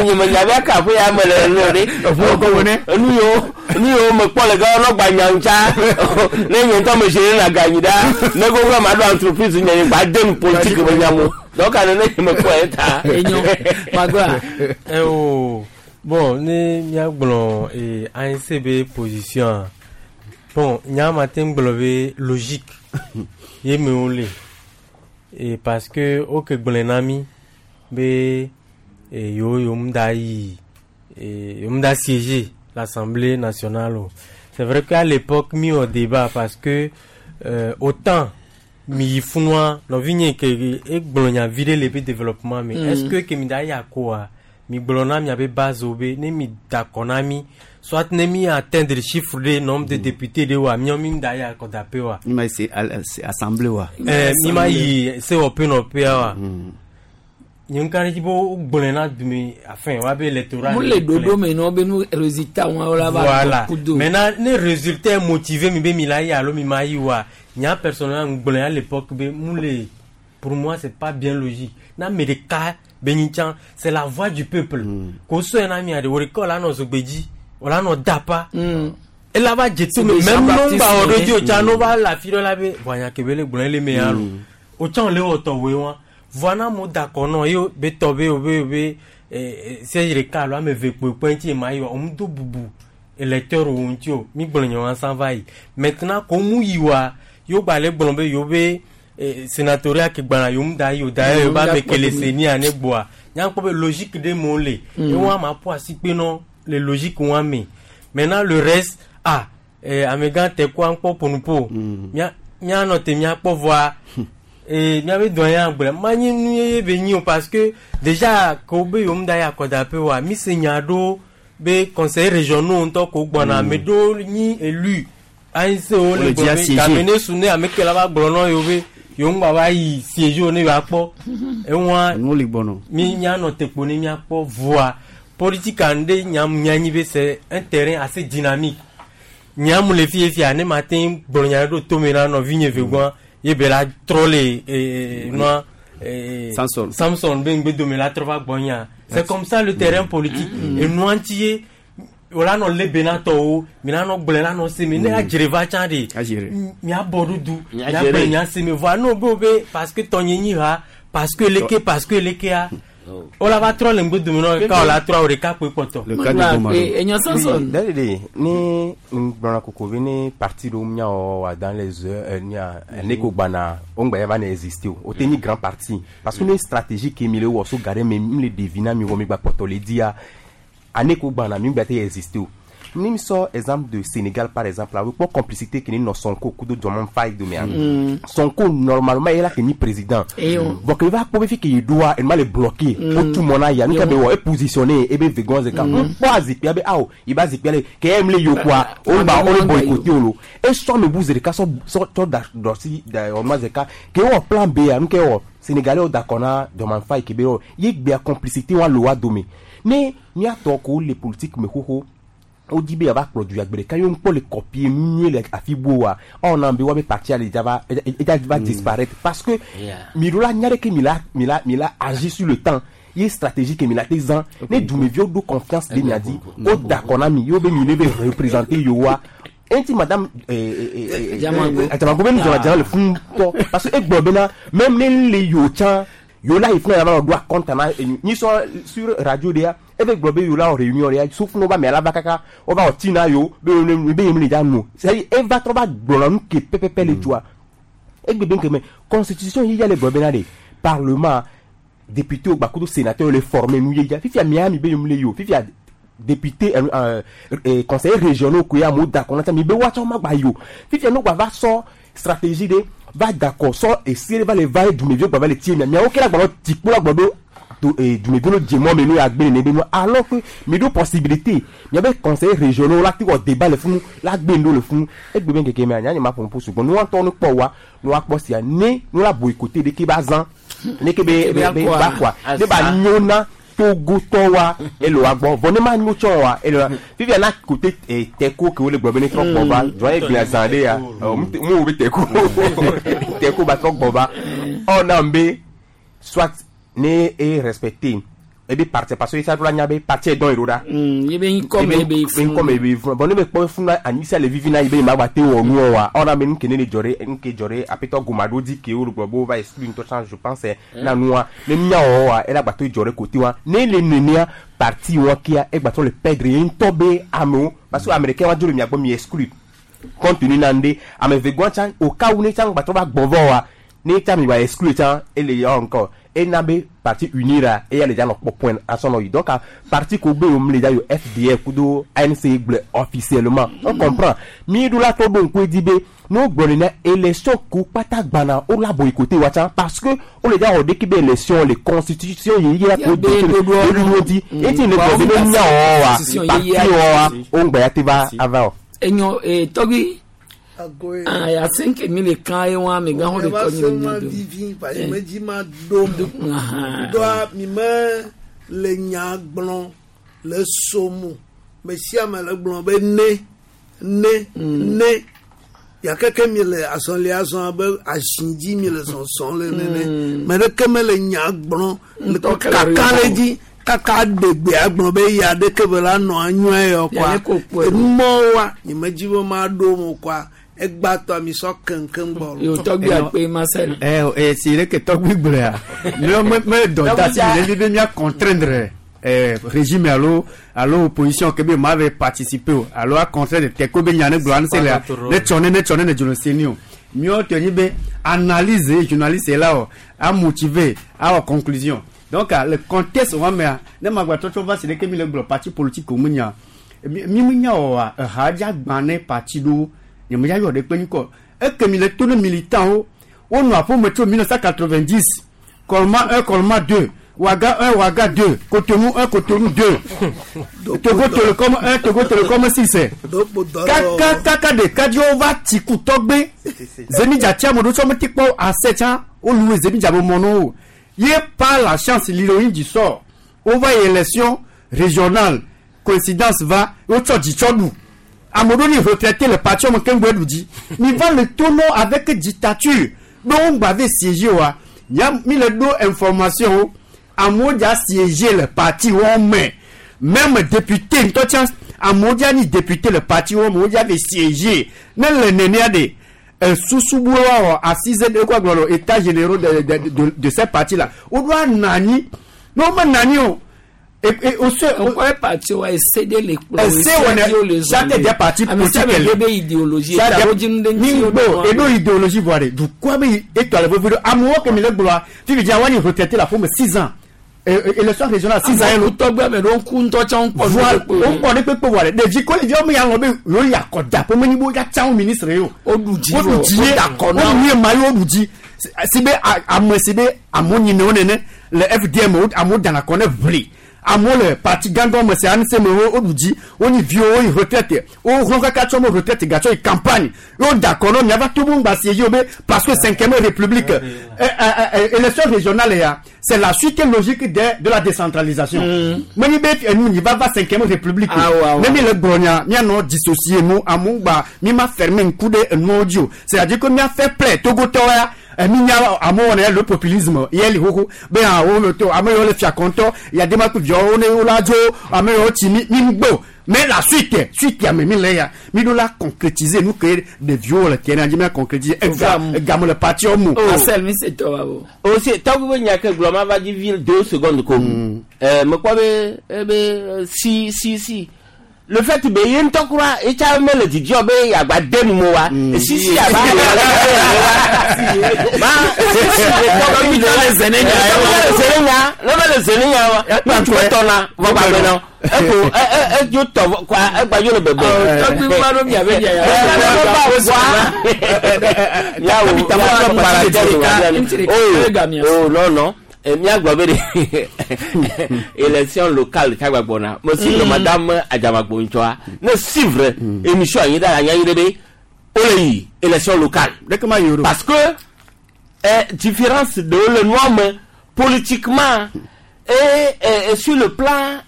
S1: Nye me nya be aka aƒe ya me le nu ɖe. Enu yiwo nu yiwo me kpɔ le gã nɔ gba nya ŋutsa. Ne nye ŋutɔ me géré na ganyi ɖa. Ne gogo ma ɖo entreprise nye nye gba de nu politique me nya mo. Donc ane ne nye me kpɔ ye ta.
S2: Enyo magba.
S3: Eh oh. Bon, ne míagblɔ ANC be position a, bon, nya ma te gblɔ be logique ye me wole. Et parce que woke gblɔe na mí be yewo yewo ŋda yi yewo ŋda siéger l'Assemblée nationale o. C'est vrai qu'à l'époque mi wɔ débat parce que autant mi yi funua nɔvinye ke egblɔ nya vi ɖe le be développement me. Est-ce que ke mi da yi akoa mi gblɔ na miabe base wo be ne mi da kɔ na mi soit ne mi atteindre chiffre ɖe nombre de députés ɖe wa miawo mi da yi akɔdaƒe wa.
S17: Mi ma yi se assemblée wa.
S3: Mi ma yi sewɔƒe nɔƒea wa. Nye ŋka ɖe dzi be wogblɔe na dume afin wa be électorat.
S2: Mo le ɖoɖo me nɔ be nu résultat wọn la va
S3: Voilà.
S2: kudo.
S3: Maintenant, ne résultat est motivé mi be mi la yi alo mi ma yi wa. Nya personnellement gblɔe à l'époque be mu le pour moi c'est pas bien logique. Na ame ɖeka be nyi tsã c'est la voix du peuple. Ko sɔe na mia ɖe wo ɖeka wòla nɔ zogbedzi wòla nɔ dapa. Ela va dze to me
S2: C'est
S3: même
S2: Jean-Baptiste
S3: no ŋgba wɔ ɖo dzi o tsã
S2: Monet.
S3: no va le afi ɖe la be voa nya ke be le gblɔe le me ya lo. O tsã le wɔ tɔwoe wa. Voa na amewo da akɔ nɔ ye be tɔ be wo be wo be siège ɖeka alo ame eve kpoe kpe ŋuti ma yi wa wo do bubu électeur wo ŋuti o mi gblɔ nye wa san va yi. Maintenant ko mu yi wa yewo gba le gblɔ be yewo be sénatoriat ke gbana yewo mu da yi o d'ailleurs yewo ba ame ke le senia ne gbɔa nya kpɔ be logique ɖe me wo le. Ye wa ma ƒo asi kpe nɔ le logique wa me. Maintenant le reste ah amegã te kua ŋkpɔ ƒonuƒo mia mianɔ te miakpɔ voa miabe dɔn ya gblẽ manyi nu ye be nyi o parce que déjà ko be yewo mu da yi akɔdaƒe oa mi se nya ɖo be conseil régionaux ŋutɔ ko gbɔna ame ɖewo nyi élu ANC wo le
S17: Wole
S3: gblɔ
S17: dzia
S3: be
S17: siéger.
S3: game ne su ne ame ke la va gblɔ nɔ yewo be yewo ŋgba va yi siège o ne yewoakpɔ eŋua
S17: Nuwo li gbɔnɔ.
S3: mi mianɔ te kpo ne miakpɔ voa politique ŋɖe nyam mianyi be c'est un terrain assez dynamique nyamu le fi fia ne ma te gblɔ nya ɖo tome na nɔvinye ve gbɔa ye be la trɔ le nua
S17: Samson.
S3: Samson be ŋgbe dome la trɔ va gbɔ nya c'est comme ça le terrain politique enua ŋuti ye wòla nɔ lebe na tɔwo mina nɔ gblɔe la nɔ se me ne adzre va tsã ɖe
S17: Adzre.
S3: miabɔ ɖo du
S1: Mia
S3: miagblɔe
S1: dzre.
S3: mia se me voa ne wo be wo be parce que tɔnye nyi ha parce que leke parce que lekea wola va trɔ le ŋgbe dome nɔ ka wòla trɔ wo ɖeka kpoe kpɔtɔ.
S17: Le cas de Gomaro.
S2: Enyo Samson.
S5: Dadede, ni gblɔna koko be ne parti ɖewo miawɔ wa dans les heures nia ne ko gbana wo ŋgba ya va ne exister o o te nyi grand parti parce que ne stratégie ke mi le wɔ so ga ɖe me mi le ɖevi na mi wɔ mi gba kpɔtɔ le dia ane ko gbana mi ŋgba te exister o ni mi sɔ exemple de Sénégal par exemple la wo kpɔ complicité ke ne nɔ Sonko kudo Diomaye Faye domea Sonko normalement ye la ke nyi président
S2: Eh, oh.
S5: bon ke va kpɔ be fi ke ye ɖoa enuma le bloqué o tu mɔ na ya nu ke be wɔ e positionné ebe vegan zeka n kpɔ azikpia be awo i ba zikpia le ke em le yokua o ba o le boycotté o lo e sɔ me bu zereka sɔ sɔ tsɔ da dɔsi da ɔnua zeka ke wɔ plan B ya nu ke wɔ Sénégalais wo d'accord na Diomaye Faye ke be wɔ ye gbea complicité wa le wa dome ne miatɔ ko le politique me xoxo wodi be yeava kplɔ du ya gbe ɖeka ye ŋkpɔ le copier nu nyuie le afi bo wa ɔna be woabe parti ale dza va edza va disparaître parce que mi ɖo la nya ɖe ke mi la agir sur le temps ye stratégie ke mi la te zã ne dumeviwo ɖo confiance ɖe mia dzi wo d'accord na mi ye wo be mi ne be représenter yewoa enti madame
S2: Diamango.
S5: Diamango be nu dzɔna le fún tɔ parce que egblɔ bena même ne le yewo tsã yewo la yi fún yàrá do akɔnta na nyi sɔ sur radio de ya ebe gblɔ be yewo la wɔ réunion de ya so fún wo ba mɛ la va kaka wo va wɔ ti na yewo be yewo be yewo le dza nu c'est à dire eva trɔ va gblɔna nu ke pɛpɛpɛ le tsoa egbe be nkeme constitution yi ya le gblɔ bena de parlement député wo gbakudo sénateur le former nu ye ya fifia mia mi be yewo le yi o fifia député conseiller régionaux koe amewo da akɔ na tsã mi be woatsɔ ma gba yi o fifia no gba va sɔ stratégie ɖe va da akɔ sɔ ese ɖe va le va ye dumeviwo gba va le tie mia miawo ke la gba nɔ tikpo la gblɔ be to dumeviwo no dze mɔ me no ya gbe nene be no alors que mi ɖo possibilité miabe conseiller régionaux la te wɔ débat le funu la gbe nu ɖo le funu egbe be ŋkeke mea nya nye ma ƒo nuƒo sugbɔ nua ŋutɔ no kpɔ wa no akpɔ sia ne no la boycotté ɖeke ba zã ne ke be be be ba kɔa ne ba nyo na togotɔ wa ele wa gbɔ vɔ ne ma nyo tsɔ wa ele wa fifia na côté tɛko ke wole gblɔ be ne trɔ gbɔ va zɔn ye gblẽ zã ɖe ya ɔ mu wo be tɛko tɛko ba trɔ gbɔ va ɔ na be soit ne e respecté ebe parti parce que ça doit nya be parti dɔn yi ɖo ɖa.
S2: Ye be ŋkɔ me be
S5: funu. Ŋkɔ me be funu. Bon ne be kpɔ funu anyisia le vivi na yi be ma gba te wɔ nuwɔ wa. Ɔ na be nuke ne le dzɔ ɖe nuke dzɔ ɖe apetɔ goma ɖo dzi ke wo gblɔ be wova exclu ŋutɔ tsã je pense na nua ne mía wɔ wa ela gba to dzɔ ɖe côté wa. Ne le nenea parti wa kia egba trɔ le perdre ye ŋutɔ be amewo parce que ame ɖeka wa dzo le mia gbɔ mi exclu compte tenu na ŋɖe ame eve gɔ̃ tsã au cas où ne tsã gba trɔ va gbɔ vɔ wa ne tsã mi gba exclu tsã ele yɔ encore ena be parti unira eya le dza nɔ kpɔ point asɔnɔ yi donc parti ko gbe yom le dza yo FDR kudo ANC gblɔ officiellement on comprend mi ɖo la tɔ ɖo ŋku edzi be ne wogblɔ nene élection ko kpata gbana wo la boycotté wa tsã parce que wo le dza wɔ ɖeki be élection le constitution ye ya ko do ɖoɖo dzi eti le gblɔ be ne nya wɔ wa parti wɔ wa wo ŋgbɛ ya te va ava o.
S2: Enyo tɔgbi aya senke mi le kan ye wa mi gan ho de tɔ nyi
S6: nya do. Vivi parce que me dzi ma ɖo mo doa mi me le nya gblɔ le somu me sia me le gblɔ be ne ne ne ya keke mi le azɔlia zɔn abe azi dzi mi le zɔzɔm le nene me ɖeke me le nya gblɔ le kaka le dzi kaka ɖegbe agblɔ be ya ɖeke be la nɔ anyɔe yɔ kɔa enumɔwoa nye me dzi be ma ɖo mo kɔa egbatɔ mi sɔ keŋkeŋ gbɔ.
S2: Yo tɔgbi akpe Marcel.
S17: Ɛ si ɖe ke tɔgbi gblɔa yɔ me me dɔ da si le mi be mia contraindre régime alo alo opposition ke be ma ve participer o alo a contraindre tɛko be nya ne gblɔ anse la ne tsɔ ne ne tsɔ ne ne dzolo se ni o miɔ tɔ nyi be analyse journaliste la o a motiver a wɔ conclusion. Donc le contexte wa mea ne magba trɔtrɔ va si ɖeke mi le gblɔ parti politique mu nya mi mu nya oa eha dza gbã ne parti ɖo nye me dza yɔ ɖe kpe ŋkɔ eke mi le to ne militant wo wonɔ aƒeme tso 1990 Kɔlma 1 Kɔlma 2 Ouaga 1 Ouaga 2 Cotonou 1 Cotonou 2 Togo Telecom 1 Togo Telecom 6 kaka kaka ɖeka dzi wova tsi ku tɔgbe zemidza tsi ame ɖewo tsɔ mete kpɔ ase tsã wolu zemidza be mɔ nɔwo ye par la chance l'héroïne du sort wova yi élection régionale coïncidence va wotsɔ dzitsɔ ɖu ame ɖewo ni retraité le parti me keŋ ɖu dzi mi va le tono avec dictature be wo ŋgba ve siéger oa nya mi le ɖo information wo amewo dza siéger le parti wo me même député ŋutɔ tsã amewo dza nyi député le parti wo me wo dza ve siéger ne le nenea de susu bu wa wɔ assise de quoi gblɔ état généraux de ces partis là wo ɖo ananyi ne wo me nanyi o
S2: o parti wa ese de le kplɔ
S17: ese wɔnɛ chaque des partis politiques
S2: be idéologie
S17: ni gbo eɖo idéologie vɔ de dukɔa be etɔ le vevi ɖo amewo ke mi le gblɔa fifi dza wani retraité la fome 6 ans élection régionale 6 ans ye lo
S2: tɔgbe ame ɖewo ŋku ŋutɔ tsã ŋkpɔ
S17: voilà wo ŋkpɔ ɖe kpekpe vɔ de ɖevi ko ɖeviwo mi ya lɔ be yewo yi akɔda ƒe menyi be wo ya tsã wo ministre ye o
S2: woɖu dzi
S17: woɖu dzi ye woɖu ye ma ye woɖu dzi si be ame si be amewo nyina wo nene le FDM amewo dana kɔ ne ʋli amewo le parti gãgã me se ANC me wo woɖu dzi wonyi viwo woyi retraite wo hlɔ̃ kaka tsɔ mo retraite gatsɔ yi campagne wo da kɔ nɔ miava to ŋgba si ye wo be parce que cinquième république élection régionale ya c'est la suite logique de la décentralisation menyi be enu nyi va va cinquième république ne mi le gblɔ nya mianɔ dissocier nu amewo gba mi ma fermer ŋku ɖe enuwo dzi o c'est à dire que mia fait plaie togotɔwo ya mi nya amewo wɔna le populisme ye li xoxo be hã wo le to ame yiwo le fia kɔntɔ yadema kple viawo ne wo la dzo ame yiwo tsi mi mi ŋgbo mais la suite suite ame mi le ya mi ɖo la concrétiser nu ke ɖeviwo le terrain dzi mi la concrétiser ega egame le parti wo mu.
S2: Marcel mi se tɔ wa bo.
S1: O se tɔgbi be nya ke gblɔ ma va dzi vi 2 secondes ko. Mekpɔ be ebe si si si. Le fait be ye ŋutɔ kura etsa mele dzidzɔ be yeagba de nu mo wa esisi aba ma sisi le tɔ be mi le zene nya le zene nya ne be le zene nya wa ŋutsu etɔna vɔ gbagbe na eko e e edzo tɔ vɔ kɔa egbadzo le bebe.
S2: Tɔgbi ma ɖo miabe nya ya.
S1: Yawo oh non non míagblɔ be ɖe élection locale tagba gbɔna me suivre madame Adzamagbo ŋutsɔa ne suivre émission anyi ɖe anyi ɖe be wole yi élection locale parce que différence de le nua me politiquement et sur le plan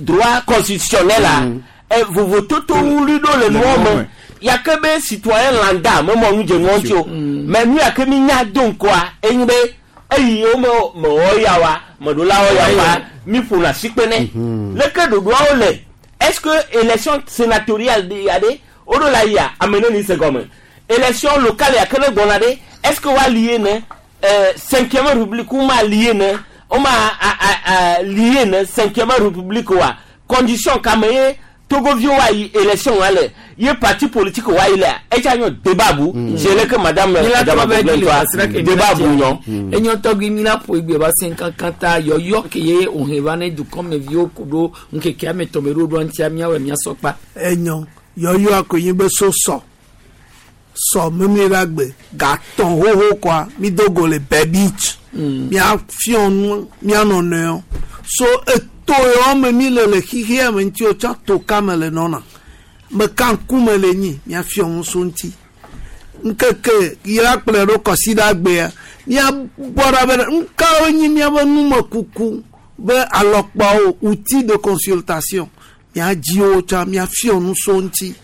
S1: droit constitutionnel la vovototo wuli ɖo le nua me yake be citoyen lambda me mɔ nu dze nua ŋuti o mais nu yake mi nya do ŋkɔa enyi be eyi wo me mewɔ ya wa meɖolawo ya wa mi ƒona sikpe nɛ leke ɖoɖoawo le est-ce que élection sénatoriale ya ɖe woɖo la yia ame ne ni se gɔme élection locale ya ke ne gbɔna ɖe est-ce que woa lié ne cinquième république wo ma lié ne wo ma a lié ne cinquième république wa condition kame ye togoviwo wa yi élection wa le ye parti politique wa yi lea etsa nyɔ débat bu c'est le que madame Adama débat bu nyɔ.
S2: Enyo tɔgbi mi la ƒo egbe va se kankan ta yɔyɔ ke ye òhun va ne dukɔmeviwo ku ɖo ŋkeke ame tɔn be ɖoɖoa ŋutia miawɔ miasɔ kpa.
S6: Enyɔ yɔyɔ akonyi be so sɔ sɔ memle la gbe gatɔn xoxo kɔa mi do go le bɛ beach mia fiɔ nu mia nɔnɔewo so eto yewo me mi le le xixia me ŋuti o tsã to ka me le nɔna meka ŋkume le nyi mia fiɔ nu so ŋuti ŋkeke yi la kplɔe ɖo kɔsiɖa gbea mia bɔ ɖa be ŋkawo nyi miabe numekuku be alɔkpawo outil de consultation mia dziwo tsã mia fiɔ nu so ŋuti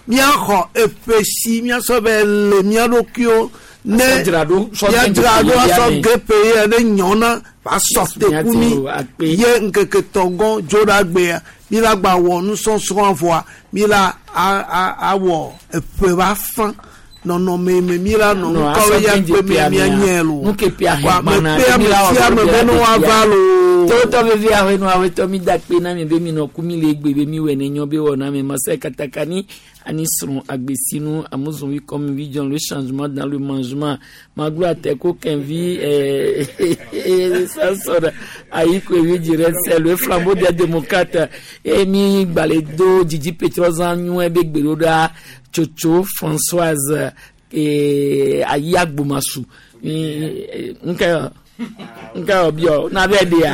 S6: miaxɔ eƒe si miasɔ be le mia ɖokuiwo ne miadzra ɖo asɔ gepe ye ne nyɔna va sɔ teku mi ye ŋkeke tɔgɔ dzo ɖa gbea mi la gba wɔ nusɔsrɔ̃ vɔa mi la awɔ eƒe va fã nɔnɔme me mi la nɔ ŋkɔwo ya kpe mia mia nye lo wa me kpe ame sia ame be ne woava lo.
S2: Tɔwotɔ vevi aƒe nu aƒetɔ mi da kpe na mi be mi nɔ ku mi le egbe be mi wɔ ne nyɔ be wɔ na mi masai katakani ani srɔ̃ agbesinu amuzɔnvi comme vision le changement dans le mangement maglo ateko kɛnvi sasɔrɔ ayi koevi dzirɛ sɛ le flambeau des démocrates eye mi gbalẽ do dzidzi petrɔzã nyuie be gbeɖoɖa tsotso Françoise ayi agbomasu nke nke ọbịa na-abịa dị ya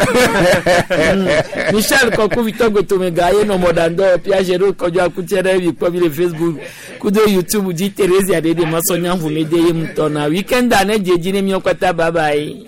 S2: Michel Kɔku Victor Gotomega ye nɔ mɔɖaŋdɔ Piaget ɖo kɔdzɔ akutsɛ ɖe mi kpɔ mi le Facebook kudo YouTube dzi Therese Adede Masɔnya ʋumede ye ŋutɔ na weekend ne dze dzi ne miɔ katã bye bye.